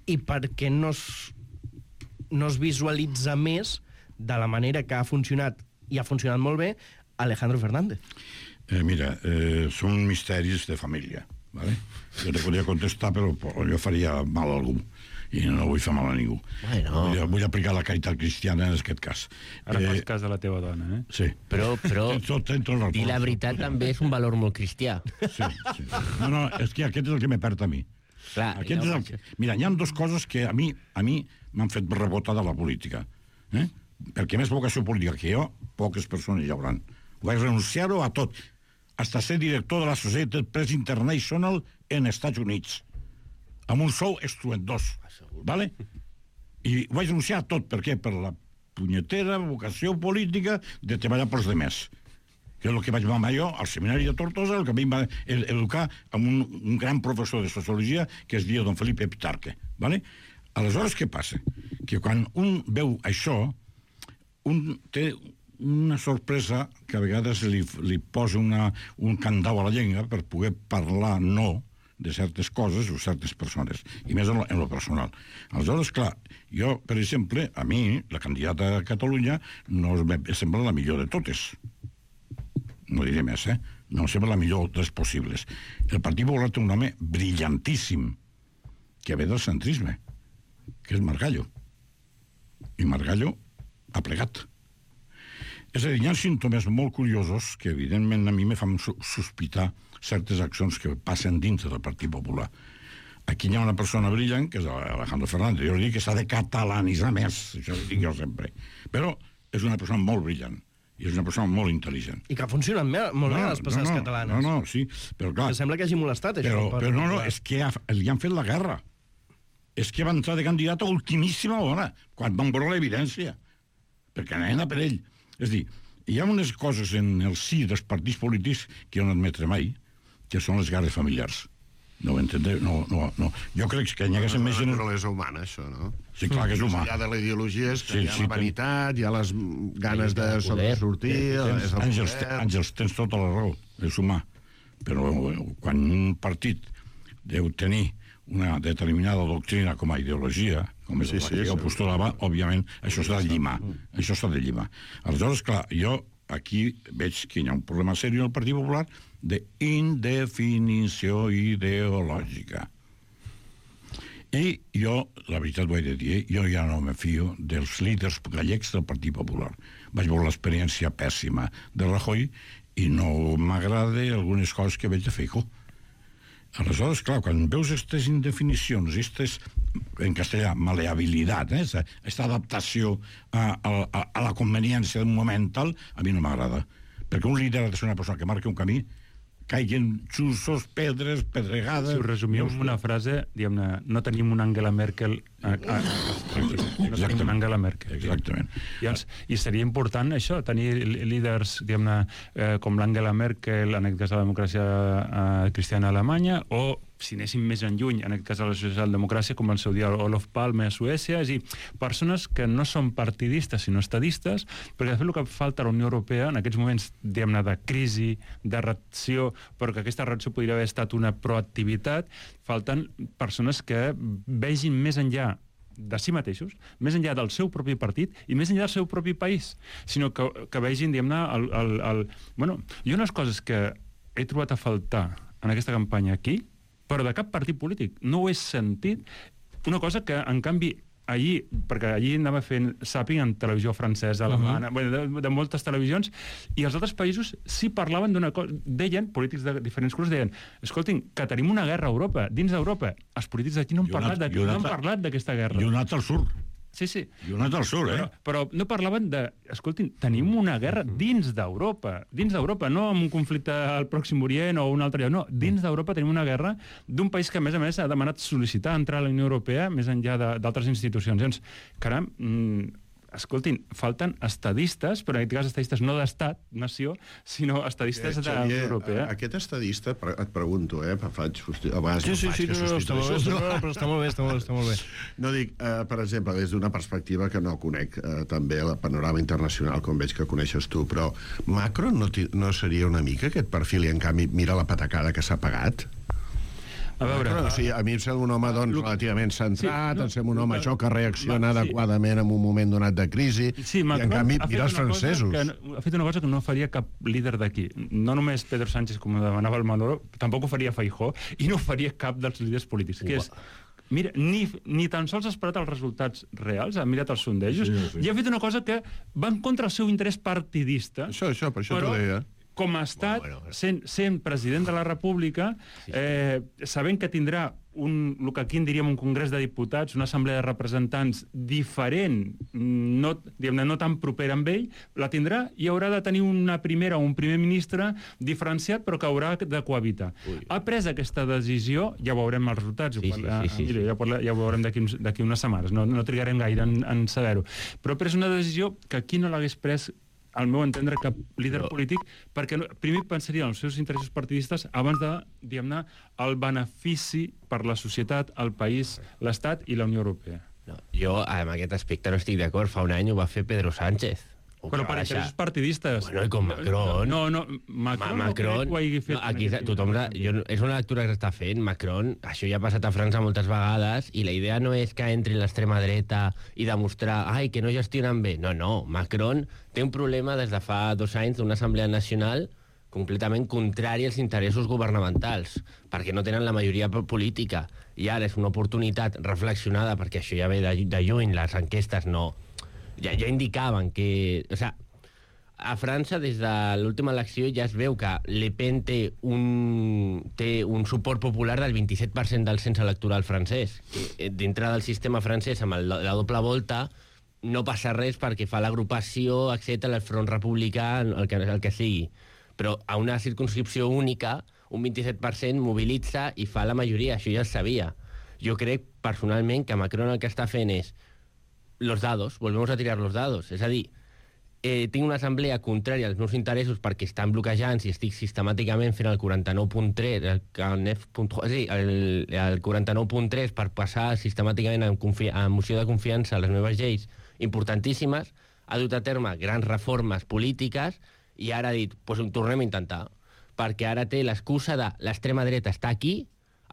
Speaker 7: i per què no es, no es visualitza més de la manera que ha funcionat, i ha funcionat molt bé, Alejandro Fernández?
Speaker 9: Eh, mira, eh, són misteris de família. Vale? Jo te podria contestar, però jo faria mal a algú. I no vull fer mal a ningú.
Speaker 8: Bueno.
Speaker 9: Vull, vull aplicar la caritat cristiana en aquest cas.
Speaker 10: Ara eh, fas cas de la teva dona, eh?
Speaker 9: Sí.
Speaker 8: Però, però
Speaker 9: tot, tot,
Speaker 8: dir la veritat també és un valor molt cristià.
Speaker 9: Sí, sí. No, no, és que aquest és el que me perd a mi.
Speaker 8: Clar,
Speaker 9: aquest
Speaker 8: no,
Speaker 9: és el que... Mira, hi ha dues coses que a mi a mi m'han fet rebotar de la política. Eh? Perquè més vocació política que jo, poques persones hi hauran. Vaig renunciar-ho a tot. Hasta ser director de la Associated Press International en Estats Units. Amb un sou estruendós. Vale? I vaig renunciar a tot. Per què? Per la punyetera vocació política de treballar pels demés. Que és el que vaig mamar jo al seminari de Tortosa, el que em va educar amb un, un gran professor de sociologia que es deia don Felipe Pitarque. ¿Vale? Aleshores, què passa? Que quan un veu això, un té una sorpresa que a vegades li, li posa una, un candau a la llengua per poder parlar no de certes coses o certes persones, i més en lo, en lo personal. Aleshores, clar, jo, per exemple, a mi, la candidata a Catalunya, no em sembla la millor de totes. No diré més, eh? No em sembla la millor dels possibles. El Partit Popular té un home brillantíssim, que ve del centrisme, que és Margallo. I Margallo ha plegat. És a dir, hi ha símptomes molt curiosos que, evidentment, a mi me fan sospitar certes accions que passen dintre del Partit Popular. Aquí hi ha una persona brillant, que és Alejandro Fernández. Jo li dic que s'ha de catalanitzar més, això ho dic jo sempre. Però és una persona molt brillant. I és una persona molt intel·ligent.
Speaker 7: I que ha funcionat molt bé a les passades
Speaker 9: no, no,
Speaker 7: catalanes.
Speaker 9: No, no, sí, però clar...
Speaker 7: Que sembla que hagi molestat, això.
Speaker 9: Però, però no, no, és que ha, li han fet la guerra. És que va entrar de candidat a ultimíssima hora, quan van veure l'evidència. Perquè anaven a per ell. És dir, hi ha unes coses en el si dels partits polítics que jo no admetré mai, que són les guerres familiars. No ho entendeu? No, no, no. Jo crec que hi haguessin més gent...
Speaker 11: La naturalesa humana, això, no?
Speaker 9: Sí, clar que és humà.
Speaker 11: Hi ha de la ideologia, és que
Speaker 9: Sí,
Speaker 11: hi ha
Speaker 9: sí,
Speaker 11: la vanitat, hi ha les ganes de sobresortir... és el
Speaker 9: Àngels,
Speaker 11: poder.
Speaker 9: Àngels, tens tota la raó, és humà. Però quan un partit deu tenir una determinada doctrina com a ideologia, com és
Speaker 11: Sí,
Speaker 9: la
Speaker 11: sí,
Speaker 9: que jo
Speaker 11: sí.
Speaker 9: postulava, òbviament, això s'ha de llimar. Això s'ha de llimar. Aleshores, clar, jo aquí veig que hi ha un problema seriós al Partit Popular d'indefinició ideològica. I jo, la veritat ho he de dir, jo ja no me fio dels líders gallecs del Partit Popular. Vaig veure l'experiència pèssima de Rajoy i no m'agrada algunes coses que veig de Feijóo. Aleshores, clar, quan veus aquestes indefinicions, aquestes, en castellà, maleabilitat, eh, aquesta adaptació a, a, a la conveniència d'un moment tal, a mi no m'agrada. Perquè un líder ha de ser una persona que marqui un camí, caiguen xussos, pedres, pedregades...
Speaker 10: Si ho resumíem en una frase, diguem-ne, no tenim una Angela Merkel... A, a, a, no tenim una Angela Merkel.
Speaker 9: Exactament.
Speaker 10: I, els, I seria important això, tenir líders, diguem-ne, eh, com l'Angela Merkel, en aquest cas a la democràcia eh, cristiana a Alemanya, o, si anéssim més en lluny, en aquest cas a la socialdemocràcia, com el seu dia Olof Palme a Suècia, és a dir, persones que no són partidistes, sinó estadistes, perquè de fet el que falta a la Unió Europea, en aquests moments, diguem-ne, de crisi, de reacció, però que aquesta reacció podria haver estat una proactivitat, falten persones que vegin més enllà de si mateixos, més enllà del seu propi partit i més enllà del seu propi país, sinó que, que vegin, diguem-ne, el, el, el... Bueno, hi ha unes coses que he trobat a faltar en aquesta campanya aquí, però de cap partit polític. No ho he sentit. Una cosa que, en canvi, allí, perquè allí anava fent zapping en televisió francesa, alemana, uh -huh. bueno, de, de moltes televisions, i els altres països sí parlaven d'una cosa, deien, polítics de diferents colors, deien, escoltin, que tenim una guerra a Europa, dins d'Europa. Els polítics d'aquí no han parlat de, no han parlat d'aquesta guerra.
Speaker 9: I un altre al sud.
Speaker 10: Sí, sí.
Speaker 9: I un altre al sud, eh?
Speaker 10: Però, però no parlaven de... Escoltin, tenim una guerra dins d'Europa. Dins d'Europa, no amb un conflicte al Pròxim Orient o un altre lloc. No, dins d'Europa tenim una guerra d'un país que, a més a més, ha demanat sol·licitar entrar a la Unió Europea més enllà d'altres institucions. Llavors, caram, mm, escoltin, falten estadistes, però en aquest cas estadistes no d'estat, nació, sinó estadistes
Speaker 11: Eh,
Speaker 10: de la Unió
Speaker 11: Xavier,
Speaker 10: Europea.
Speaker 11: Aquest estadista, pre- et pregunto, eh, faig... hosti- A vegades
Speaker 7: Sí,
Speaker 11: no
Speaker 7: sí,
Speaker 11: faig,
Speaker 7: sí,
Speaker 11: que
Speaker 7: no, no, està molt bé,
Speaker 11: substitueixo.
Speaker 7: no, però està molt bé, està molt, està molt bé.
Speaker 11: No dic, eh, per exemple, des d'una perspectiva que no conec eh, també el panorama internacional, com veig que coneixes tu, però Macron no, ti- no seria una mica aquest perfil i, en canvi, mira la patacada que s'ha pagat?
Speaker 10: A veure...
Speaker 11: Macron, o sigui, a mi em sembla un home doncs, relativament centrat,
Speaker 10: Sí, no,
Speaker 11: em sembla un home
Speaker 10: no,
Speaker 11: això que reacciona
Speaker 10: va, sí.
Speaker 11: adequadament en un moment donat de crisi,
Speaker 10: Sí,
Speaker 11: i en
Speaker 10: Macron
Speaker 11: canvi
Speaker 10: ha fet
Speaker 11: mira els
Speaker 10: una cosa
Speaker 11: francesos.
Speaker 10: que no- ha fet una cosa que no faria cap líder d'aquí. No només Pedro Sánchez, com demanava el Manolo, tampoc ho faria Feijóo, i no ho faria cap dels líders polítics, que és... Mira, ni, ni tan sols ha esperat els resultats reals, ha mirat els sondejos,
Speaker 9: Sí, sí.
Speaker 10: i ha fet una cosa que va en contra del seu interès partidista.
Speaker 11: Això, això, per això
Speaker 10: però,
Speaker 11: t'ho deia.
Speaker 10: com a estat,
Speaker 11: Bueno, bueno.
Speaker 10: sent, sent president de la República, eh, sabent que tindrà un, el que aquí en diríem un congrés de diputats, una assemblea de representants diferent, no, diguem-ne, no tan propera amb ell, la tindrà i haurà de tenir una primera o un primer ministre diferenciat, però que haurà de cohabitar. Ui. Ha pres aquesta decisió, ja veurem els resultats, sí, sí, sí, sí, mira, ja, parla, ja ho veurem d'aquí unes setmanes, no, no trigarem gaire en, en saber-ho. Però ha pres una decisió que aquí no l'hagués pres, al meu entendre, cap líder no. polític, perquè no, primer pensaria en els seus interessos partidistes abans de, diguem-ne, el benefici per la societat, el país, l'Estat i la Unió Europea.
Speaker 8: No, jo, en aquest aspecte, no estic d'acord. Fa un any ho va fer Pedro Sánchez.
Speaker 10: Però per interessos partidistes.
Speaker 8: Bueno, i com Macron.
Speaker 10: No, no, Macron,
Speaker 8: Ma Macron
Speaker 10: no ho hagi fet.
Speaker 8: No, aquí tothom, jo, és una lectura que s'està fent. Macron, això ja ha passat a França moltes vegades, i la idea no és que entri l'extrema dreta i demostrar, ai, que no gestionen bé. No, no, Macron té un problema des de fa dos anys d'una assemblea nacional completament contrari als interessos governamentals, perquè no tenen la majoria política. I ara és una oportunitat reflexionada, perquè això ja ve de, de lluny, les enquestes no... Ja, ja indicaven que... O sigui, a França, des de l'última elecció, ja es veu que Le Pen té un, té un suport popular del vint-i-set per cent del cens electoral francès. Que, dintre del sistema francès, amb el, la doble volta, no passa res perquè fa l'agrupació, etcètera, el front republicà, el que, el que sigui. Però a una circunscripció única, un vint-i-set per cent mobilitza i fa la majoria. Això ja es sabia. Jo crec, personalment, que Macron el que està fent és los dados, volvemos a tirar los dados. És a dir, eh, tinc una assemblea contrària als meus interessos perquè estan bloquejants i estic sistemàticament fent el quaranta-nou punt tres, el, sí, el, el quaranta-nou punt tres per passar sistemàticament en, en moció de confiança a les meves lleis importantíssimes, ha dut a terme grans reformes polítiques i ara ha dit, doncs ho tornem a intentar, perquè ara té l'excusa de l'extrema dreta està aquí,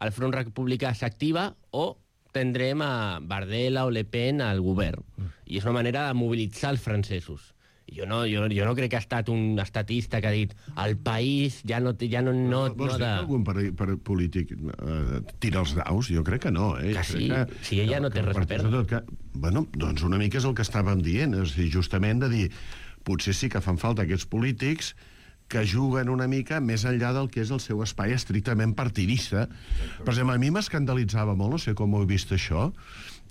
Speaker 8: el front republicà s'activa o tindrem a Bardella o Le Pen al govern. I és una manera de mobilitzar els francesos. Jo no, jo, jo no crec que ha estat un estatista que ha dit el país ja no... Ja no, no,
Speaker 11: Vols no dir de... que algun per, per polític uh, tira els daus? Jo crec que no. Eh?
Speaker 8: Que sí, que, si ella no té res a perdre.
Speaker 11: Que, bueno, doncs una mica és el que estàvem dient, és dir, justament de dir potser sí que fan falta aquests polítics que juguen una mica més enllà del que és el seu espai estrictament partidista. Per exemple, a mi m'escandalitzava molt, no sé com ho he vist això,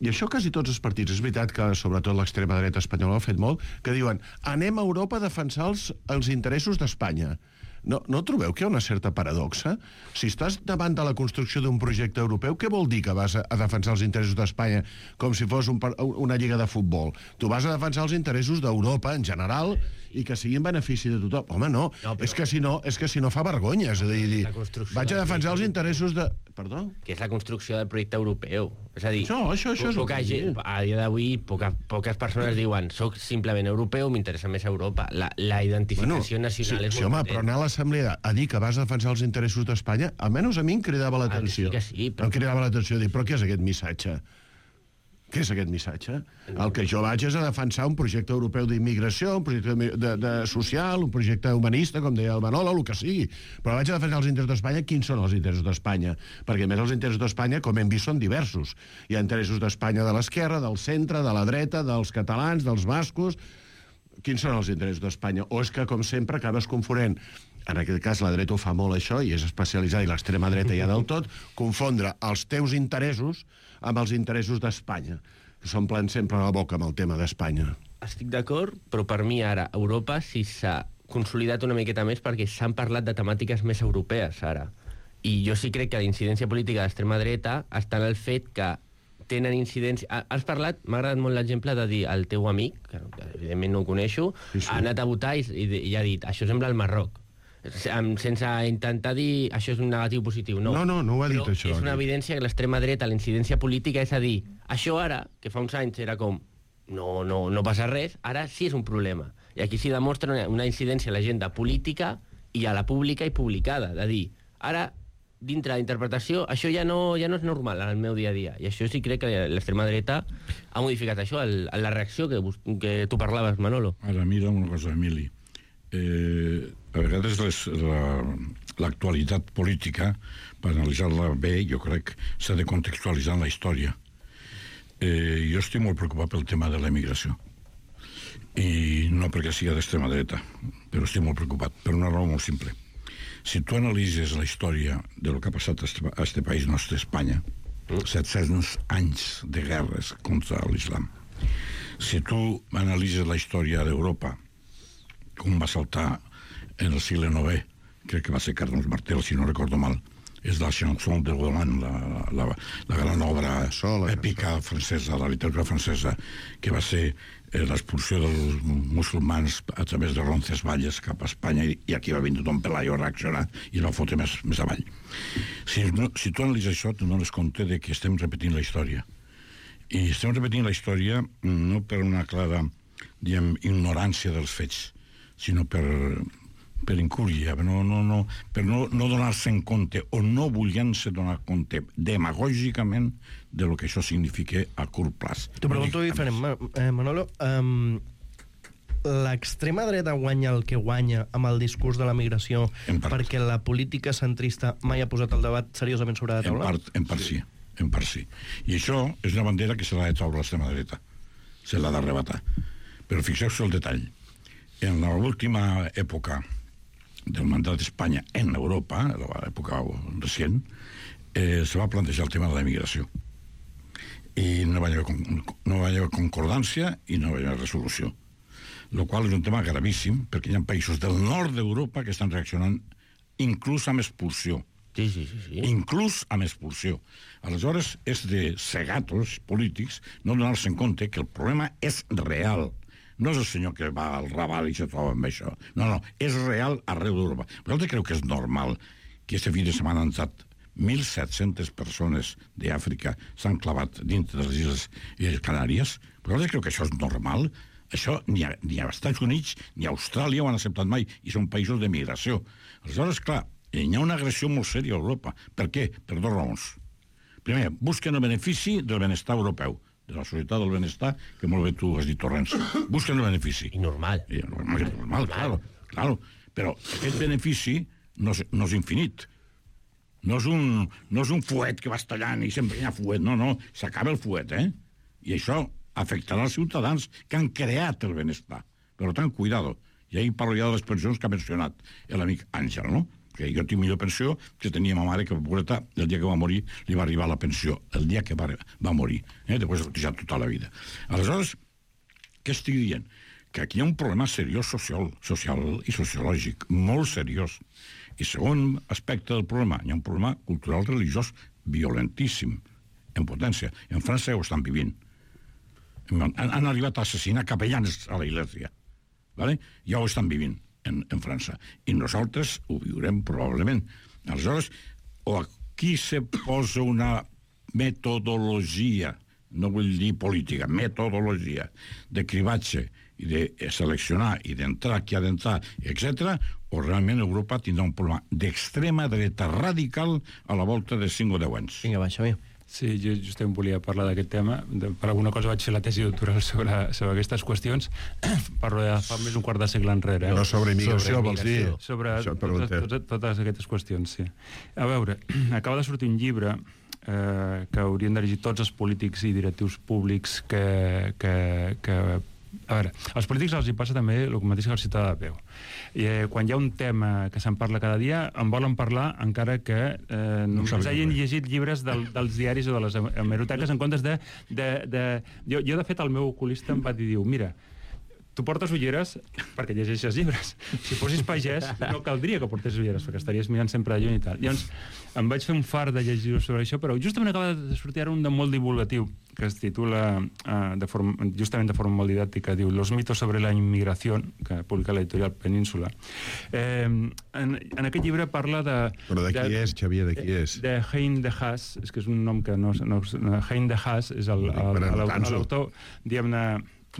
Speaker 11: i això quasi tots els partits, és veritat que sobretot l'extrema dreta espanyola ho ha fet molt, que diuen, anem a Europa a defensar els, els interessos d'Espanya. No, no trobeu que hi ha una certa paradoxa? Si estàs davant de la construcció d'un projecte europeu, què vol dir que vas a, a defensar els interessos d'Espanya com si fos un, una lliga de futbol? Tu vas a defensar els interessos d'Europa en general i que sigui en benefici de tothom. Home, no, no però... és, que si no és que si no fa vergonya. És a dir, vaig a defensar els interessos de... Perdó?
Speaker 8: Que és la construcció del projecte europeu. És a dir,
Speaker 11: això, això, això
Speaker 8: poca és gent, a dia d'avui poca, poques persones diuen soc simplement europeu, m'interessa més Europa. La, la identificació bueno, nacional
Speaker 11: sí,
Speaker 8: és
Speaker 11: sí,
Speaker 8: molt
Speaker 11: home,
Speaker 8: potent.
Speaker 11: Però anar a l'assemblea a dir que vas a defensar els interessos d'Espanya, almenys a mi em cridava l'atenció.
Speaker 8: Ah, sí, sí, però...
Speaker 11: Em cridava l'atenció dir, però què és aquest missatge? Què és aquest missatge? El que jo vaig és a defensar un projecte europeu d'immigració, un projecte de, de, de social, un projecte humanista, com deia el Manolo, el que sigui. Però vaig a defensar els interessos d'Espanya. Quins són els interessos d'Espanya? Perquè, a més, els interessos d'Espanya, com hem vist, són diversos. Hi ha interessos d'Espanya de l'esquerra, del centre, de la dreta, dels catalans, dels bascos... Quins són els interessos d'Espanya? O és que, com sempre, acabes confonent, en aquest cas la dreta ho fa molt això, i és especialitzada, i l'extrema dreta ja del tot, confondre els teus interessos amb els interessos d'Espanya, que s'omplen sempre la boca amb el tema d'Espanya.
Speaker 8: Estic d'acord, però per mi ara Europa sí s'ha consolidat una miqueta més perquè s'han parlat de temàtiques més europees ara. I jo sí crec que la incidència política de l'extrema dreta està en el fet que tenen incidència... Has parlat, m'ha agradat molt l'exemple de dir el teu amic, que evidentment no ho coneixo, sí, sí. ha anat a votar i, i, i ha dit això sembla el Marroc. Sense intentar dir això és un negatiu positiu. No,
Speaker 11: no, no, no ho ha dit
Speaker 8: però
Speaker 11: això.
Speaker 8: És una evidència que l'extrema dreta, la incidència política, és a dir, això ara, que fa uns anys era com no, no, no passa res, ara sí és un problema. I aquí s'hi demostra una, una incidència a l'agenda política i a la pública i publicada. De dir, ara dintre de la interpretació, això ja no, ja no és normal en el meu dia a dia. I això sí crec que l'extrema dreta ha modificat això, el, la reacció que, que tu parlaves, Manolo.
Speaker 9: Ara, mira una cosa, Emili. Eh, a vegades l'actualitat la, política, per analitzar-la bé, jo crec, s'ha de contextualitzar en la història. Eh, jo estic molt preocupat pel tema de la immigració. I no perquè sigui d'extrema dreta, però estic molt preocupat, per una raó molt simple. Si tu analitzes la història del que ha passat a este país nostre, Espanya, set-cents anys de guerres contra l'islam. Si tu analitzes la història d'Europa, com va saltar en el segle novè, crec que va ser Carlos Martel, si no recordo mal, és la chanson de Roland, la, la, la gran obra èpica francesa, la literatura francesa, que va ser eh, l'expulsió dels musulmans a través de Roncesvalles cap a Espanya, i, i aquí va venir Don Pelayo a reaccionar i el va fotre més, més avall. Si, no, si tu analitzes això, tu dones compte de que estem repetint la història. I estem repetint la història no per una clara, diguem, ignorància dels fets, sinó per... per incúria, no, no, no, per no, no donar-se en compte o no volent-se donar compte demagògicament de lo que això significa a curt plaç.
Speaker 7: T'ho pregunto diferent, eh, Manolo. Um, L'extrema dreta guanya el que guanya amb el discurs de la migració perquè la política centrista mai ha posat el debat seriosament sobre la taula?
Speaker 9: En part, en part sí. sí, en part sí. I això és una bandera que se l'ha de treure l'extrema dreta. Se l'ha d'arrebatar. Però fixeu-vos el detall. En l'última època del mandat d'Espanya en Europa, l'època recent, eh, se va plantejar el tema de la immigració. I no va haver, no va haver concordància i no va haver resolució. El qual és un tema gravíssim, perquè hi ha països del nord d'Europa que estan reaccionant inclús amb expulsió.
Speaker 8: Sí, sí, sí, sí.
Speaker 9: Inclús amb expulsió. Aleshores, és de cegatos polítics no donar-se en compte que el problema és real. No és el senyor que va al Raval i se troba amb això. No, no, és real arreu d'Europa. Vosaltres creu que és normal que este fin de setmana han estat mil set-centes persones d'Àfrica s'han clavat dintre de les Illes Canàries? Vosaltres creu que això és normal? Això ni a, ni a Estats Units ni a Austràlia ho han acceptat mai, i són països de migració. Aleshores, clar, hi ha una agressió molt sèria a Europa. Per què? Per dues raons. Primer, busquen el benefici del benestar europeu, de la societat del benestar, que molt bé tu has dit, Torrents. Busquen el benefici.
Speaker 8: I normal.
Speaker 9: I normal, normal, claro, claro. Però aquest benefici no és, no és infinit. No és, un, no és un fuet que vas tallant i sempre hi ha fuet. No, no, s'acaba el fuet, eh? I això afectarà els ciutadans que han creat el benestar. Per tant, cuidado. I ahir parlo ja de les pensions que ha mencionat l'amic Àngel, no? Que jo tinc millor pensió que tenia ma mare, que pobreta, el dia que va morir li va arribar la pensió, el dia que va, va morir, eh? Després ha cotejat tota la vida. Aleshores, què estic dient? Que aquí hi ha un problema seriós social, social i sociològic, molt seriós. I segon aspecte del problema, hi ha un problema cultural religiós violentíssim, en potència. En França ho estan vivint. Han, han arribat a assassinar capellans a la Iglesia, ¿vale? Ja ho estan vivint En, en França. I nosaltres ho viurem probablement. Aleshores, o aquí se posa una metodologia, no vull dir política, metodologia de cribatge i de seleccionar i d'entrar qui ha d'entrar, etcètera, o realment Europa tindrà un problema d'extrema dreta radical a la volta de cinc o deu anys.
Speaker 7: Vinga, va, Xavier.
Speaker 10: Sí, jo justament volia parlar d'aquest tema. De, per alguna cosa vaig fer la tesi doctoral sobre, sobre aquestes qüestions. Parlo de fa més d'un quart de segle enrere. Eh?
Speaker 11: No, sobre immigració,
Speaker 10: sobre
Speaker 11: vols dir?
Speaker 10: Sobre totes, totes, totes aquestes qüestions, sí. A veure, acaba de sortir un llibre eh, que haurien de llegir tots els polítics i directius públics que... que, que a veure, als polítics els hi passa també el mateix que al ciutadà de peu. I, eh, quan hi ha un tema que se'n parla cada dia, en volen parlar encara que eh, no ens hagin llegit llibres del, dels diaris o de les hemeroteques en comptes de... de, de jo, jo, de fet, el meu oculista em va dir, diu, mira, tu portes ulleres perquè llegeixes llibres. Si fossis pagès, no caldria que portés ulleres, perquè estaries mirant sempre de lluny i tal. Llavors, em vaig fer un far de llegir sobre això, però justament acaba de sortir ara un de molt divulgatiu, que es titula, uh, de forma, justament de forma molt didàctica, diu Los mitos sobre la inmigració, que publica l'editorial Península. Eh, en, en aquest llibre parla de...
Speaker 11: Però de qui de, és, Xavier, de qui és?
Speaker 10: De Hein de Haas, és que és un nom que no... no Hein de Haas és l'autor, diguem-ne,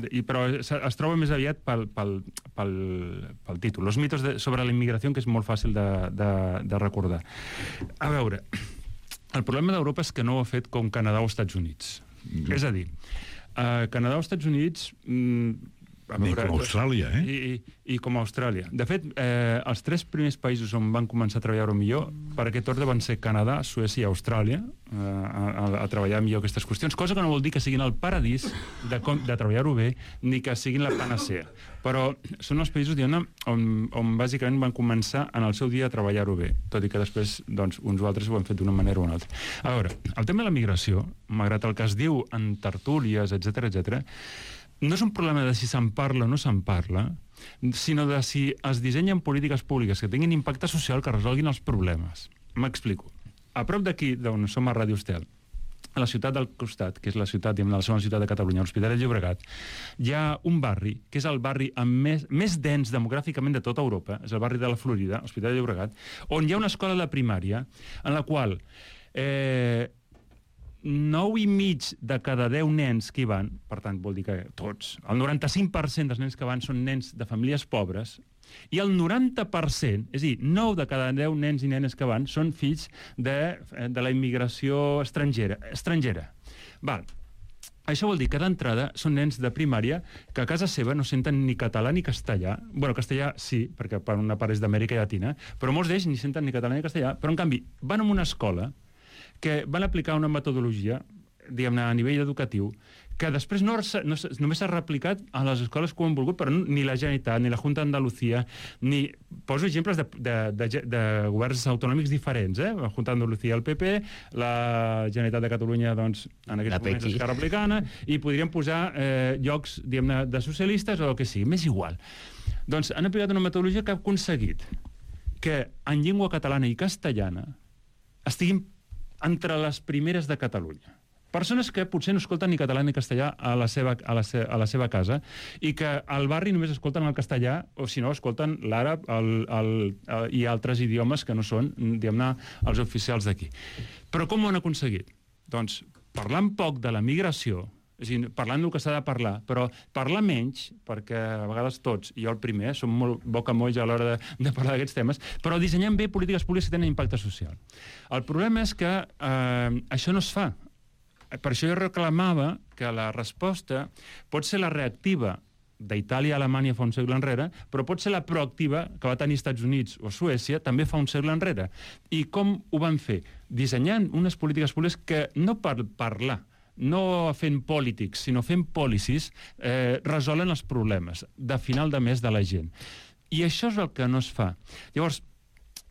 Speaker 10: I, però es, es troba més aviat pel, pel, pel, pel títol. Los mitos de, sobre la immigració, que és molt fàcil de, de, de recordar. A veure, el problema d'Europa és que no ho ha fet com Canadà o Estats Units. Mm. És a dir, uh, Canadà o Estats Units mm,
Speaker 9: Ni com Austràlia, eh?
Speaker 10: I, i, I com Austràlia. De fet, eh, els tres primers països on van començar a treballar millor per aquest ordre van ser Canadà, Suècia i Austràlia, eh, a, a treballar millor aquestes qüestions, cosa que no vol dir que siguin el paradís de, com, de treballar-ho bé, ni que siguin la panacea. Però són els països, diguem-ne, on, on bàsicament van començar en el seu dia a treballar-ho bé, tot i que després doncs, uns o altres ho han fet d'una manera o una altra. A veure, el tema de la migració, malgrat el que es diu en tertúlies, etcètera, etcètera, no és un problema de si se'n parla o no se'n parla, sinó de si es dissenyen polítiques públiques que tinguin impacte social que resolguin els problemes. M'explico. A prop d'aquí, d'on som a Ràdio Estel, a la ciutat del costat, que és la ciutat, diguem, la segona ciutat de Catalunya, l'Hospitalet de Llobregat, hi ha un barri, que és el barri amb més, més dens demogràficament de tota Europa, és el barri de la Florida, Hospitalet de Llobregat, on hi ha una escola de primària en la qual eh, nou i mig de cada deu nens que hi van, per tant, vol dir que tots, el noranta-cinc per cent dels nens que van són nens de famílies pobres, i el noranta per cent, és a dir, nou de cada deu nens i nenes que van són fills de, de la immigració estrangera. estrangera. Val. Això vol dir que d'entrada són nens de primària que a casa seva no senten ni català ni castellà. Bueno, castellà sí, perquè per una part és d'Amèrica Llatina, però molts d'ells ni senten ni català ni castellà, però en canvi van a una escola que van aplicar una metodologia, diguem-ne, a nivell educatiu, que després no, no, només s'ha replicat a les escoles que ho han volgut, però ni la Generalitat, ni la Junta d'Andalucía, ni... Poso exemples de, de, de, de governs autonòmics diferents, eh? La Junta d'Andalucía, el P P, la Generalitat de Catalunya, doncs, en aquests moments Esquerra Republicana, i podríem posar eh, llocs, diguem-ne, de socialistes o el que sigui, m'és igual. Doncs han aplicat una metodologia que ha aconseguit que en llengua catalana i castellana estiguin entre les primeres de Catalunya. Persones que potser no escolten ni català ni castellà a la seva, a la, se, a la seva casa i que al barri només escolten el castellà o, si no, escolten l'àrab el, el, el, i altres idiomes que no són, diguem-ne, els oficials d'aquí. Però com ho han aconseguit? Doncs parlant poc de la migració, és a dir, parlant del que s'ha de parlar, però parlar menys, perquè a vegades tots, i jo el primer, som molt bocamolls a l'hora de, de parlar d'aquests temes, però dissenyem bé polítiques públiques que tenen impacte social. El problema és que eh, això no es fa. Per això jo reclamava que la resposta pot ser la reactiva d'Itàlia i Alemanya fa un segle enrere, però pot ser la proactiva que va tenir Estats Units o Suècia també fa un segle enrere. I com ho van fer? Dissenyant unes polítiques públiques que no per parlar, no fent polítics, sinó fent policies, eh, resolen els problemes de final de mes de la gent. I això és el que no es fa. Llavors,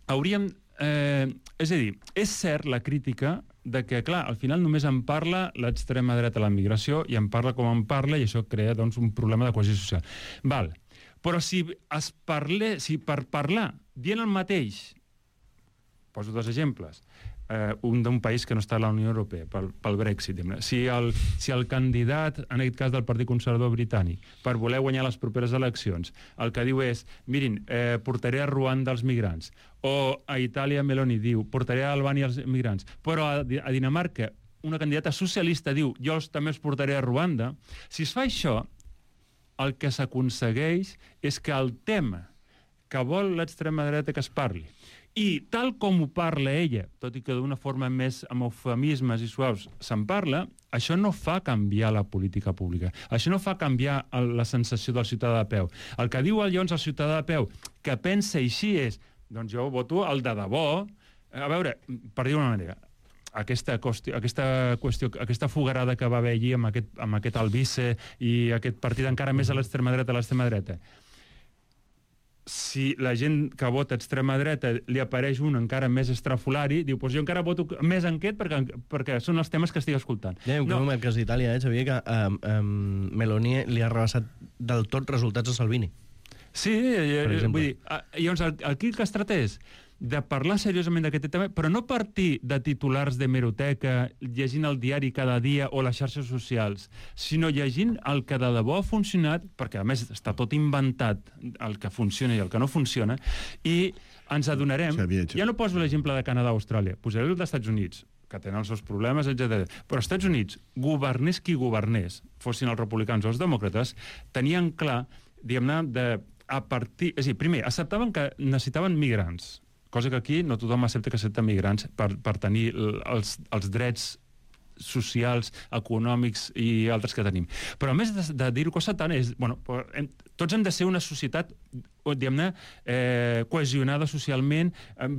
Speaker 10: hauríem... Eh, és a dir, és cert la crítica de que, clar, al final només en parla l'extrema dreta a la migració i en parla com en parla i això crea, doncs, un problema de cohesió social. Val. Però si es parle, si per parlar dient el mateix, poso dos exemples, eh, un d'un país que no està a la Unió Europea, pel, pel Brexit. Si el, si el candidat, en aquest cas del Partit Conservador Britànic, per voler guanyar les properes eleccions, el que diu és, mirin, eh, portaré a Ruanda els migrants, o a Itàlia Meloni diu, portaré a Albània els migrants, però a, a Dinamarca una candidata socialista diu, jo els, també els portaré a Ruanda, si es fa això, el que s'aconsegueix és que el tema que vol l'extrema dreta que es parli, i tal com ho parla ella, tot i que d'una forma més amb eufemismes i suaus se'n parla, això no fa canviar la política pública. Això no fa canviar el, la sensació del ciutadà de peu. El que diu llavors el ciutadà de peu, que pensa així és, doncs jo voto el de debò. A veure, per dir-ho d'una manera, aquesta qüestió, aquesta, qüestió, aquesta fogarada que va haver allí amb aquest, amb aquest Albice i aquest partit encara més a l'extrema dreta, a l'extrema dreta, si la gent que vota extrema dreta li apareix un encara més estrafolari, diu, doncs jo encara voto més en aquest perquè, perquè són els temes que estic escoltant.
Speaker 7: Ja, no. En el cas d'Itàlia, eh, sabia que um, um, Meloni li ha rebassat del tot resultats a Salvini.
Speaker 10: Sí, eh, vull dir, llavors aquí el que es tracta és de parlar seriosament d'aquest tema, però no partir de titulars d'hemeroteca, llegint el diari cada dia o les xarxes socials, sinó llegint el que de debò ha funcionat, perquè a més està tot inventat, el que funciona i el que no funciona, i ens adonarem... Ja no poso l'exemple de Canadà o Austràlia, posaré el dels Estats Units, que tenen els seus problemes, etcètera. Però als Estats Units, governés qui governés, fossin els republicans o els demòcrates, tenien clar, diguem-ne, de a partir... És a dir, primer, acceptaven que necessitaven migrants, cosa que aquí no tothom accepta que accepta migrants per, per tenir els, els drets socials, econòmics i altres que tenim. Però a més de, de dir-ho cosa tant és... Bueno, hem, tots hem de ser una societat, diguem-ne, eh, cohesionada socialment.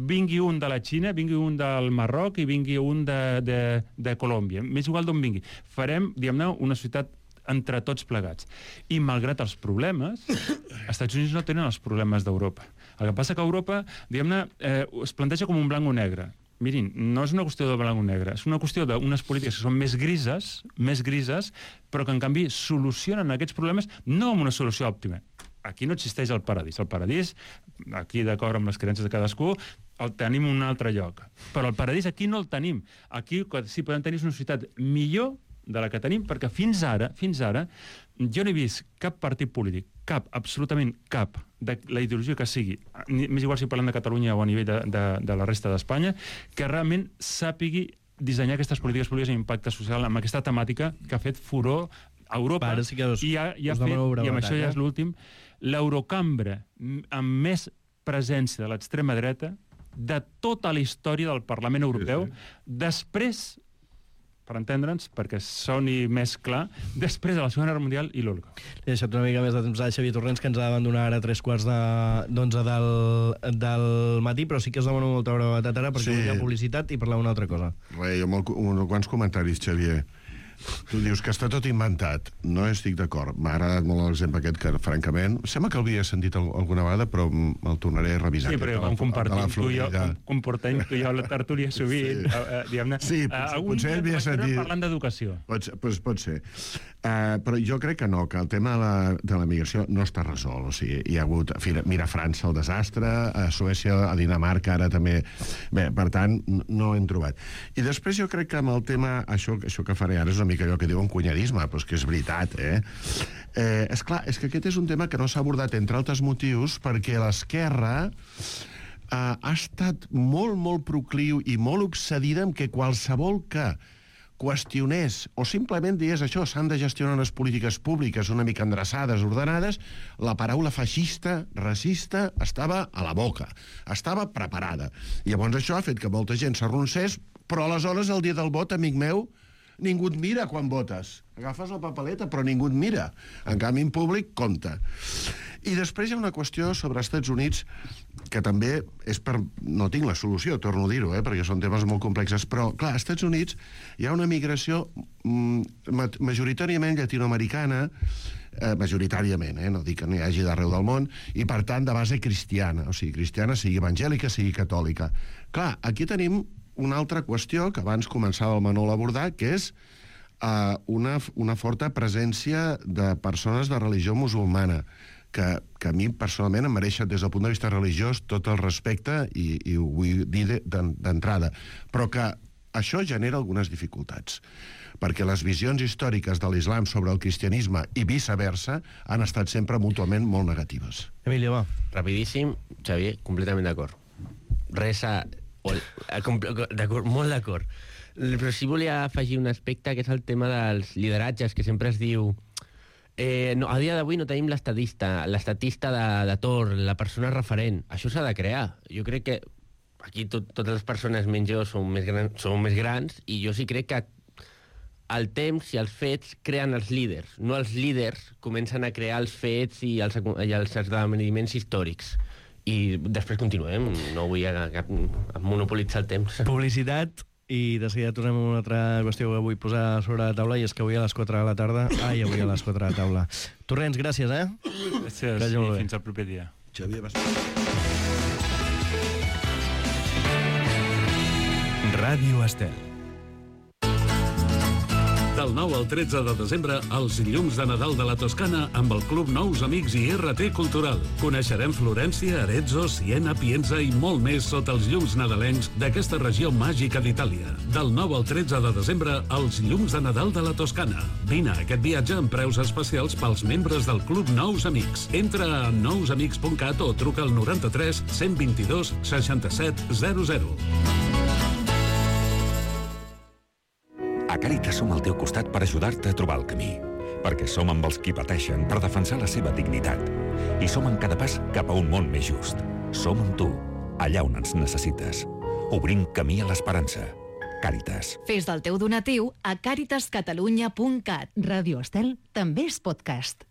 Speaker 10: Vingui un de la Xina, vingui un del Marroc i vingui un de, de, de Colòmbia. M'és igual d'on vingui. Farem, diguem-ne, una societat entre tots plegats. I malgrat els problemes, els Estats Units no tenen els problemes d'Europa. El que passa que Europa, diguem-ne, eh, es planteja com un blanc o negre. Mirin, no és una qüestió de blanc o negre, és una qüestió d'unes polítiques que són més grises, més grises, però que en canvi solucionen aquests problemes no amb una solució òptima. Aquí no existeix el paradís. El paradís, aquí d'acord amb les creences de cadascú, el tenim en un altre lloc. Però el paradís aquí no el tenim. Aquí sí podem tenir una societat millor de la que tenim, perquè fins ara, fins ara, jo no he vist cap partit polític, cap, absolutament cap, de la ideologia que sigui, més igual si parlem de Catalunya o a nivell de, de, de la resta d'Espanya, que realment sàpigui dissenyar aquestes polítiques públiques amb impacte social, amb aquesta temàtica que ha fet furor a Europa,
Speaker 7: sí que us,
Speaker 10: i ha, i ha fet, i amb això ja és l'últim, l'Eurocambra amb més presència de l'extrema dreta de tota la història del Parlament Europeu, sí, sí. Després, per entendre'ns, perquè soni més clar, després de la Segona Guerra Mundial i l'Holocaust.
Speaker 7: He deixat una mica més de temps a Xavier Torrents, que ens ha d'abandonar ara a tres quarts d'onze del, del matí, però sí que us demano molta brevetat ara, perquè sí. Hi ha publicitat i parlar una altra cosa.
Speaker 11: Re, jo molt, un, quants comentaris, Xavier. Tu dius que està tot inventat. No estic d'acord. M'ha agradat molt l'exemple aquest, que, francament, sembla que l'havia sentit alguna vegada, però el tornaré a revisar.
Speaker 10: Sí, però com compartim tu i jo, comportem tu i jo la tertúlia sovint,
Speaker 11: sí.
Speaker 10: uh, diguem-ne,
Speaker 11: sí,
Speaker 10: uh,
Speaker 11: potser havia sentit...
Speaker 10: parlant d'educació.
Speaker 11: Pot, pot, pot ser. Uh, però jo crec que no, que el tema de la, de la migració no està resolt. O sigui, hi ha hagut... Mira França, el desastre, a Suècia, a Dinamarca, ara també... Bé, per tant, no ho hem trobat. I després jo crec que amb el tema... Això, això que faré ara és una mica allò que diuen cunyadisme, però és que és veritat, eh? eh és clar, és que aquest és un tema que no s'ha abordat, entre altres motius, perquè l'esquerra eh, ha estat molt, molt procliu i molt obsedida amb que qualsevol que qüestionés o simplement digués això, s'han de gestionar unes polítiques públiques una mica endreçades, ordenades, la paraula feixista, racista, estava a la boca, estava preparada. I llavors això ha fet que molta gent s'arroncés, però aleshores, el dia del vot, amic meu, ningú et mira quan votes. Agafes la papeleta, però ningú et mira. En canvi, en públic, compta. I després hi ha una qüestió sobre els Estats Units que també és per... No tinc la solució, torno a dir-ho, eh, perquè són temes molt complexes, però, clar, als Estats Units hi ha una migració mm, majoritàriament llatinoamericana, eh, majoritàriament, eh, no dic que n'hi hagi d'arreu del món, i, per tant, de base cristiana. O sigui, cristiana, sigui evangèlica, sigui catòlica. Clar, aquí tenim una altra qüestió que abans començava el Manol a abordar, que és uh, una, una forta presència de persones de religió musulmana, que, que a mi personalment em mereixen des del punt de vista religiós tot el respecte, i, i ho vull dir d'entrada, però que això genera algunes dificultats, perquè les visions històriques de l'islam sobre el cristianisme i viceversa han estat sempre mútuament molt negatives.
Speaker 7: Emilio, va.
Speaker 8: Rapidíssim, Xavier, completament d'acord. Res a... D'acord, molt d'acord. Però sí volia afegir un aspecte, que és el tema dels lideratges, que sempre es diu... Eh, no, a dia d'avui no tenim l'estadista, l'estatista de, de Tor, la persona referent. Això s'ha de crear. Jo crec que aquí tot, totes les persones menys jo som més, gran, som més grans, i jo sí crec que el temps i els fets creen els líders. No els líders comencen a crear els fets i els, i els esdeveniments històrics. I després continuem, no vull cap, monopolitzar el temps.
Speaker 7: Publicitat, i de seguida tornem a una altra qüestió que vull posar sobre la taula, i és que avui a les quatre de la tarda... Ai, avui a les quatre de la taula. Torrents, gràcies, eh?
Speaker 10: Gràcies, gràcies i fins al proper dia.
Speaker 11: Xavier, vas...
Speaker 1: Ràdio Estel.
Speaker 3: Del nou al tretze de desembre, els llums de Nadal de la Toscana amb el Club Nous Amics i R T Cultural. Coneixerem Florència, Arezzo, Siena, Pienza i molt més sota els llums nadalencs d'aquesta regió màgica d'Itàlia. Del nou al tretze de desembre, els llums de Nadal de la Toscana. Vine a aquest viatge amb preus especials pels membres del Club Nous Amics. Entra a nous amics punt cat o truca al noranta-tres cent vint-i-dos seixanta-set zero zero.
Speaker 12: A Càritas som al teu costat per ajudar-te a trobar el camí, perquè som amb els qui pateixen per defensar la seva dignitat, i som en cada pas cap a un món més just. Som amb tu, allà on ens necessites, obrint camí a l'esperança. Càritas.
Speaker 13: Fes del teu donatiu a càritas catalunya punt cat.
Speaker 2: Ràdio Estel també és podcast.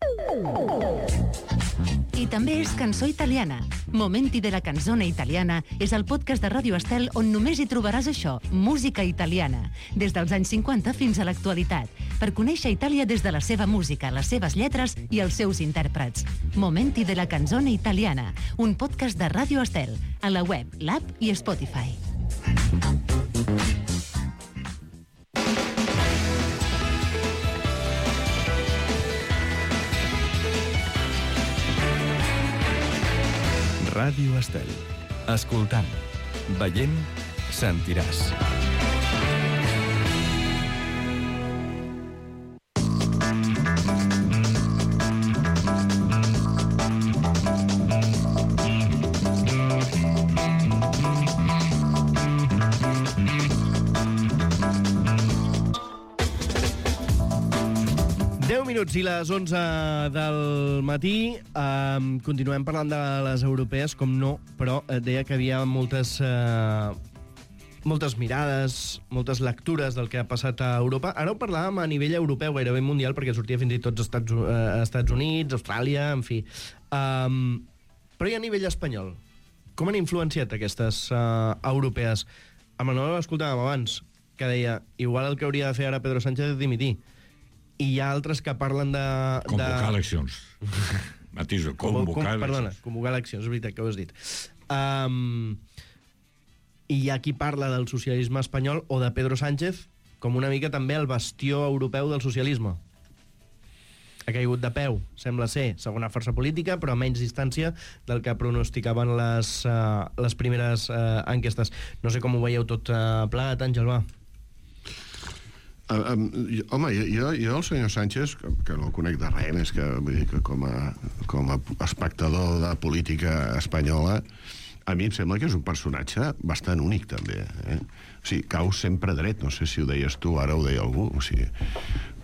Speaker 2: I també és cançó italiana. Momenti de la canzone italiana és el podcast de Ràdio Estel on només hi trobaràs això, música italiana, des dels anys cinquanta fins a l'actualitat, per conèixer Itàlia des de la seva música, les seves lletres i els seus intèrprets. Momenti de la canzone italiana, un podcast de Ràdio Estel, a la web, l'app i Spotify.
Speaker 1: Ràdio Estel. Escoltant, veient, sentiràs.
Speaker 7: deu minuts i les onze del matí. Um, continuem parlant de les europees, com no, però eh, deia que havia moltes, uh, moltes mirades, moltes lectures del que ha passat a Europa. Ara ho parlàvem a nivell europeu, gairebé mundial, perquè sortia fins i tot als Estats, uh, Estats Units, Austràlia, en fi. Um, però i a nivell espanyol? Com han influenciat aquestes uh, europees? A Manuel l'escoltàvem abans, que deia, igual el que hauria de fer ara Pedro Sánchez és dimitir. I hi ha altres que parlen de...
Speaker 9: Convocar
Speaker 7: de...
Speaker 9: eleccions. Matiso, convocar
Speaker 7: com,
Speaker 9: eleccions.
Speaker 7: Perdona, convocar eleccions, és veritat que ho has dit. Um, I hi ha qui parla del socialisme espanyol o de Pedro Sánchez com una mica també el bastió europeu del socialisme. Ha caigut de peu, sembla ser, segona força política, però a menys distància del que pronosticaven les, uh, les primeres uh, enquestes. No sé com ho veieu tot uh, plegat, Àngel, va.
Speaker 11: Uh, um, jo, home, jo, jo el senyor Sánchez, que, que no el conec de res, més que, vull dir, que com, a, com a espectador de política espanyola, a mi em sembla que és un personatge bastant únic, també. Eh? O sigui, cau sempre dret, no sé si ho deies tu, ara ho deia algú. O sigui,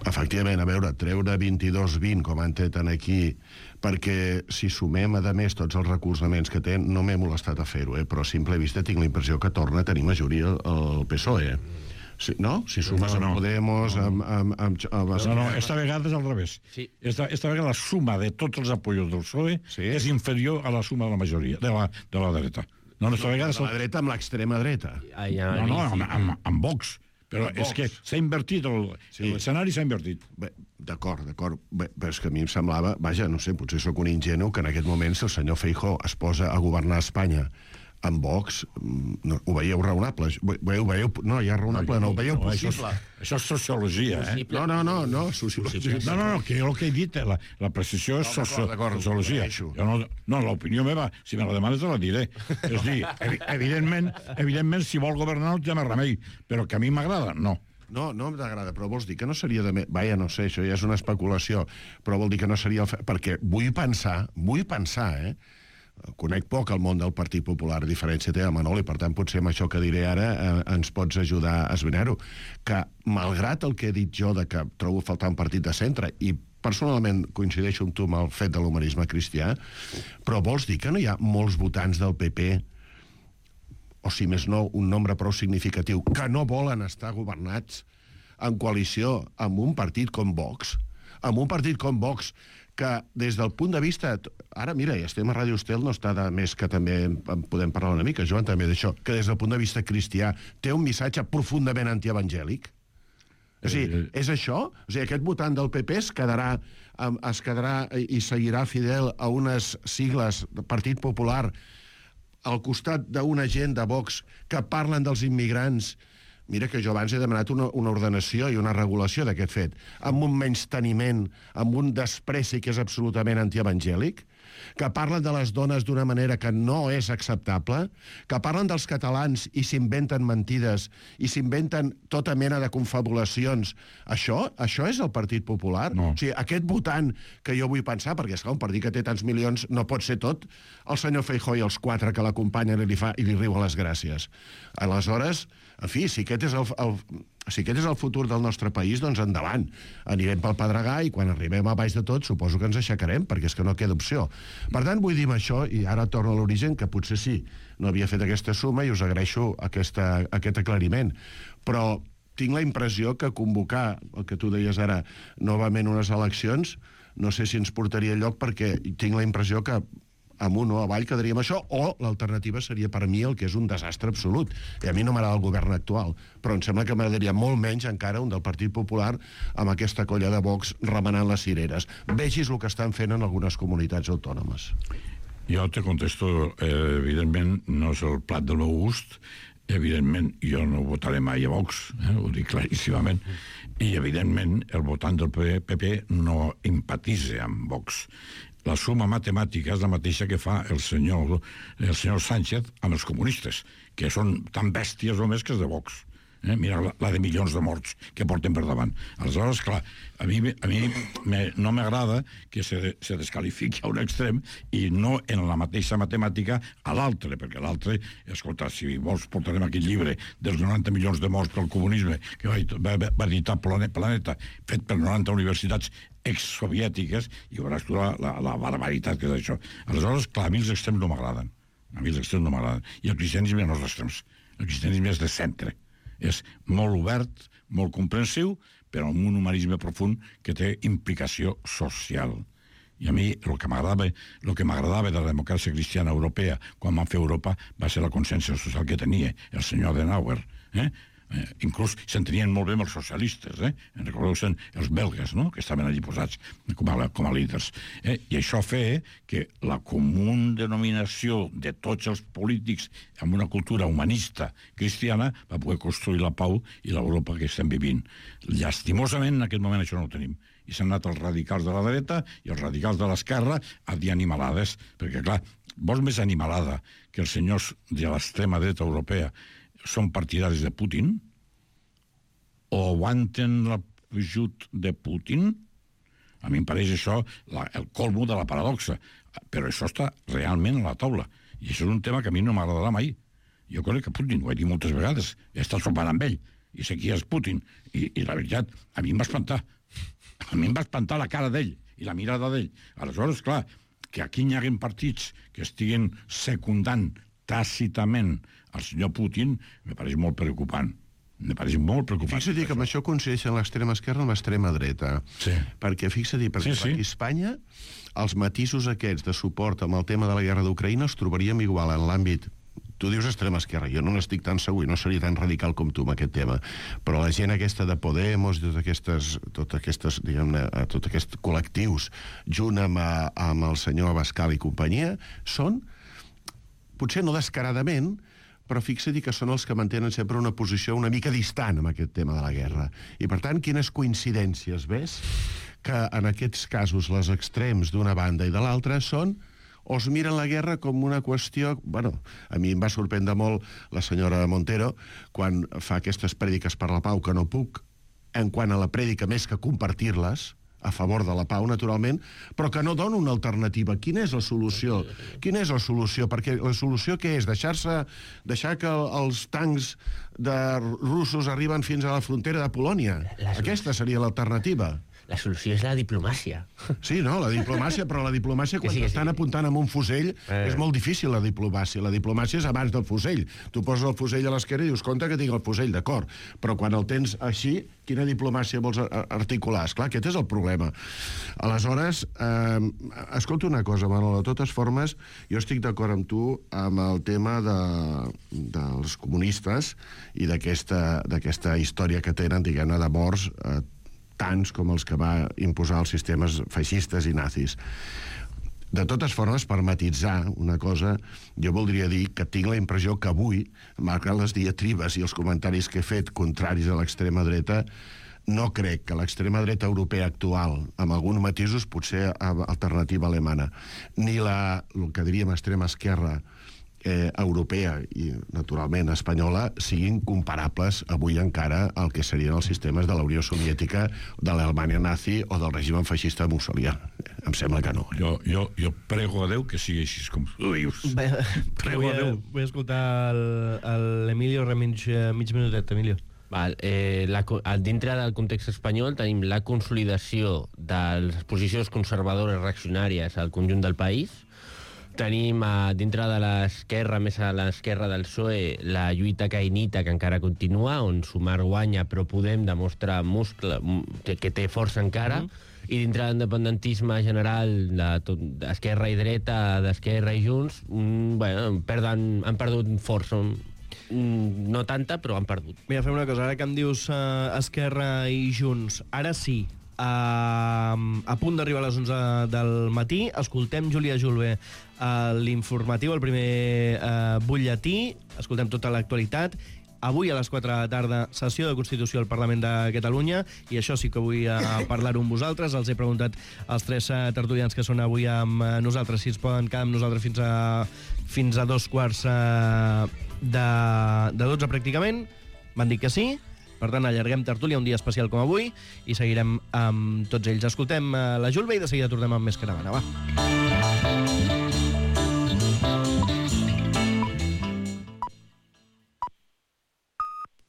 Speaker 11: efectivament, a veure, treure vint-i-dos vint, com han tret aquí, perquè si sumem, a més, tots els recolzaments que té, no m'he molestat a fer-ho, eh? Però a simple vista tinc la impressió que torna a tenir majoria el P S O E, eh? Sí, no? Si sumes no, no, amb Podemos... No, amb, amb, amb, amb, amb...
Speaker 9: no, no, esta vegada és al revés.
Speaker 7: Sí.
Speaker 9: Esta, esta vegada la suma de tots els apoyos del P S O E sí. és inferior a la suma de la majoria, de la, de la dreta. No, esta vegada...
Speaker 11: De la dreta amb l'extrema dreta.
Speaker 9: Ah, ja, no, no, amb, amb, amb Vox. Però amb és Vox. Que s'ha invertit, l'escenari sí. s'ha invertit.
Speaker 11: D'acord, d'acord. Però és que a mi em semblava... Vaja, no sé, potser sóc un ingenu que en aquest moment, si el senyor Feijóo es posa a governar Espanya amb Vox, no, ho veieu raonable? Ho veieu, no, ja raonable, no, ho veieu
Speaker 9: no,
Speaker 11: possible.
Speaker 9: Això, això és sociologia, eh?
Speaker 11: No, no, no, no, sociologia.
Speaker 9: No, no, no, que jo el que he dit, la, la precisió és no, socio, sociologia. Jo no, no, l'opinió meva, si me la demanes, te la diré. És dir, evidentment, evidentment, si vol governar no té més remei, però que a mi m'agrada, no.
Speaker 11: No, no m'agrada, però vols dir que no seria de... Me... Vaja, no sé, això ja és una especulació, però vol dir que no seria... El... Perquè vull pensar, vull pensar, eh? Conec poc el món del Partit Popular, a diferència té el Manol, i per tant potser amb això que diré ara eh, ens pots ajudar a esbrinar-ho, que malgrat el que he dit jo de que trobo faltar un partit de centre, i personalment coincideixo amb tu amb el fet de l'humanisme cristià, però vols dir que no hi ha molts votants del P P, o si més no, un nombre prou significatiu, que no volen estar governats en coalició amb un partit com Vox, amb un partit com Vox, que des del punt de vista... Ara, mira, ja estem a Ràdio Estel, no està de més que també en podem parlar una mica, Joan, també d'això, que des del punt de vista cristià té un missatge profundament antievangèlic. O sigui, és això? O sigui, aquest votant del P P es quedarà, es quedarà i seguirà fidel a unes sigles del Partit Popular al costat d'una gent de Vox que parlen dels immigrants. Mira que jo abans he demanat una, una ordenació i una regulació d'aquest fet, amb un menysteniment, amb un despreci que és absolutament antievangèlic, que parlen de les dones d'una manera que no és acceptable, que parlen dels catalans i s'inventen mentides i s'inventen tota mena de confabulacions. Això això és el Partit Popular?
Speaker 9: No.
Speaker 11: O sigui, aquest votant que jo vull pensar, perquè esclar, un partit que té tants milions no pot ser tot, el senyor Feijóo i els quatre que l'acompanyen i li, fa, i li riuen les gràcies. Aleshores, en fi, si aquest és el, el, Si aquest és el futur del nostre país, doncs endavant. Anirem pel Pedregà i quan arribem a baix de tot suposo que ens aixecarem, perquè és que no queda opció. Per tant, vull dir amb això, i ara torno a l'origen, que potser sí, no havia fet aquesta suma i us agraeixo aquesta, aquest aclariment. Però tinc la impressió que convocar, el que tu deies ara, novament unes eleccions, no sé si ens portaria lloc, perquè tinc la impressió que amunt o avall quedaríem això, o l'alternativa seria per mi el que és un desastre absolut. I a mi no m'agrada el govern actual, però em sembla que m'agradaria molt menys encara un del Partit Popular amb aquesta colla de Vox remenant les cireres. Vegis el que estan fent en algunes comunitats autònomes.
Speaker 9: Jo te contesto, eh, evidentment, no és el plat del meu gust, evidentment, jo no votaré mai a Vox, eh, ho dic claríssimament, i evidentment el votant del P P no empatitza amb Vox. La suma matemàtica és la mateixa que fa el senyor, el senyor Sánchez amb els comunistes, que són tan bèsties o més que els de Vox. Eh? Mira la, la de milions de morts que porten per davant. Aleshores, clar, a mi, a mi me, no m'agrada que se, se descalifiqui a un extrem i no en la mateixa matemàtica a l'altre, perquè l'altre, escolta, si vols portarem aquest llibre dels noranta milions de morts pel comunisme que va, va, va editar Planeta, fet per noranta universitats exsoviètiques, i veuràs tu la, la, la barbaritat que és això. Aleshores, clar, a mi els extrems no m'agraden. A mi els extrems no m'agraden. I el cristianisme no és d'extrems. El cristianisme és de centre. És molt obert, molt comprensiu, però amb un humanisme profund que té implicació social. I a mi el que m'agradava el que m'agradava de la democràcia cristiana europea quan van fer Europa va ser la consciència social que tenia el senyor Adenauer. Eh? Eh, inclús s'entenien molt bé amb els socialistes, eh? Recordeu-se'n els belgues, no?, que estaven allí posats com a, com a líders. Eh? I això feia que la comú denominació de tots els polítics amb una cultura humanista cristiana va poder construir la pau i l'Europa que estem vivint. Llastimosament, en aquest moment això no ho tenim. I s'han anat els radicals de la dreta i els radicals de l'esquerra a dir animalades, perquè, clar, vols més animalada que els senyors de l'extrema dreta europea són partidaris de Putin o aguanten l'ajut de Putin? A mi em pareix això la, el colmo de la paradoxa, però això està realment a la taula i això és un tema que a mi no m'agradarà mai. Jo crec que Putin, ho he dit moltes vegades, he estat sopant amb ell i sé qui és Putin i, i la veritat, a mi em va espantar a mi em va espantar la cara d'ell i la mirada d'ell. Aleshores, clar, que aquí hi hagin partits que estiguin secundant tàcitament el senyor Putin, me pareix molt preocupant. Me pareix molt preocupant.
Speaker 11: Fixa-t'hi que amb això coincideixen l'extrema esquerra amb l'extrema dreta.
Speaker 9: Sí.
Speaker 11: Perquè fixa-t'hi, perquè sí, sí. Aquí a Espanya els matisos aquests de suport amb el tema de la guerra d'Ucraïna els trobaríem igual en l'àmbit. Tu dius extrema esquerra, jo no n'estic tan segur i no seria tan radical com tu amb aquest tema, però la gent aquesta de Podemos, totes aquestes, totes aquestes, diguem-ne, tots aquests col·lectius, junt amb, amb el senyor Abascal i companyia, són, potser no descaradament, però fixa-t'hi que són els que mantenen sempre una posició una mica distant amb aquest tema de la guerra. I, per tant, quines coincidències, ves? Que en aquests casos les extrems d'una banda i de l'altra són o es miren la guerra com una qüestió... Bueno, a mi em va sorprendre molt la senyora Montero quan fa aquestes prèdiques per la pau que no puc, en quant a la prèdica més que compartir-les, a favor de la pau, naturalment, però que no dona una alternativa. Quina és la solució? Quina és la solució? Perquè la solució què és? Deixar-se, deixar que els tancs de russos arriben fins a la frontera de Polònia? Aquesta seria l'alternativa.
Speaker 8: La solució és la diplomàcia.
Speaker 11: Sí, no, la diplomàcia, però la diplomàcia quan sí, estan sí. apuntant amb un fusell eh. és molt difícil, la diplomàcia. La diplomàcia és abans del fusell. Tu poses el fusell a l'esquerra i dius, compte que tinc el fusell, d'acord, però quan el tens així, quina diplomàcia vols articular? Esclar, aquest és el problema. Aleshores, eh, escolta una cosa, Manol, de totes formes, jo estic d'acord amb tu amb el tema de, dels comunistes i d'aquesta història que tenen, diguem-ne, de morts, eh, tants com els que va imposar els sistemes feixistes i nazis. De totes formes, per matitzar una cosa, jo voldria dir que tinc la impressió que avui, malgrat les diatribes i els comentaris que he fet contraris a l'extrema dreta, no crec que l'extrema dreta europea actual, amb alguns matisos, potser alternativa alemana, ni la, el que diríem extrema esquerra eh, europea i, naturalment, espanyola, siguin comparables avui encara al que serien els sistemes de la Unió Soviètica, de l'Alemanya nazi o del règim feixista mussolià. Em sembla que no.
Speaker 9: Jo, jo, jo prego a Déu que sigui així com tu dius.
Speaker 7: Prego a Déu. Vull escoltar l'Emilio Remig, mig minutet, Emilio.
Speaker 8: Val, eh, la, dintre del context espanyol tenim la consolidació de les posicions conservadores reaccionàries al conjunt del país. Tenim a, dintre de l'esquerra, més a l'esquerra del P S O E, la lluita caïnita que encara continua, on Sumar guanya però Podem demostra muscle, que, que té força encara. Mm. I dintre de l'independentisme general d'esquerra i dreta, d'esquerra i Junts, mm, bueno, perden, han perdut força. Mm, no tanta, però han perdut.
Speaker 7: Mira, fem una cosa, ara que em dius uh, Esquerra i Junts, ara sí, uh, a punt d'arribar a les onze del matí, escoltem Júlia Julve, uh, l'informatiu, el primer uh, butlletí, escoltem tota l'actualitat. Avui a les quatre de la tarda, sessió de Constitució al Parlament de Catalunya, i això sí que vull uh, parlar-ho amb vosaltres. Els he preguntat als tres uh, tertulians que són avui amb uh, nosaltres si es poden quedar amb nosaltres fins a, fins a dos quarts uh, de, de dotze pràcticament. M'han dit que sí. Per tant, allarguem tertúlia un dia especial com avui i seguirem amb tots ells. Escoltem uh, la Julve i de seguida tornem amb més caravana. Va.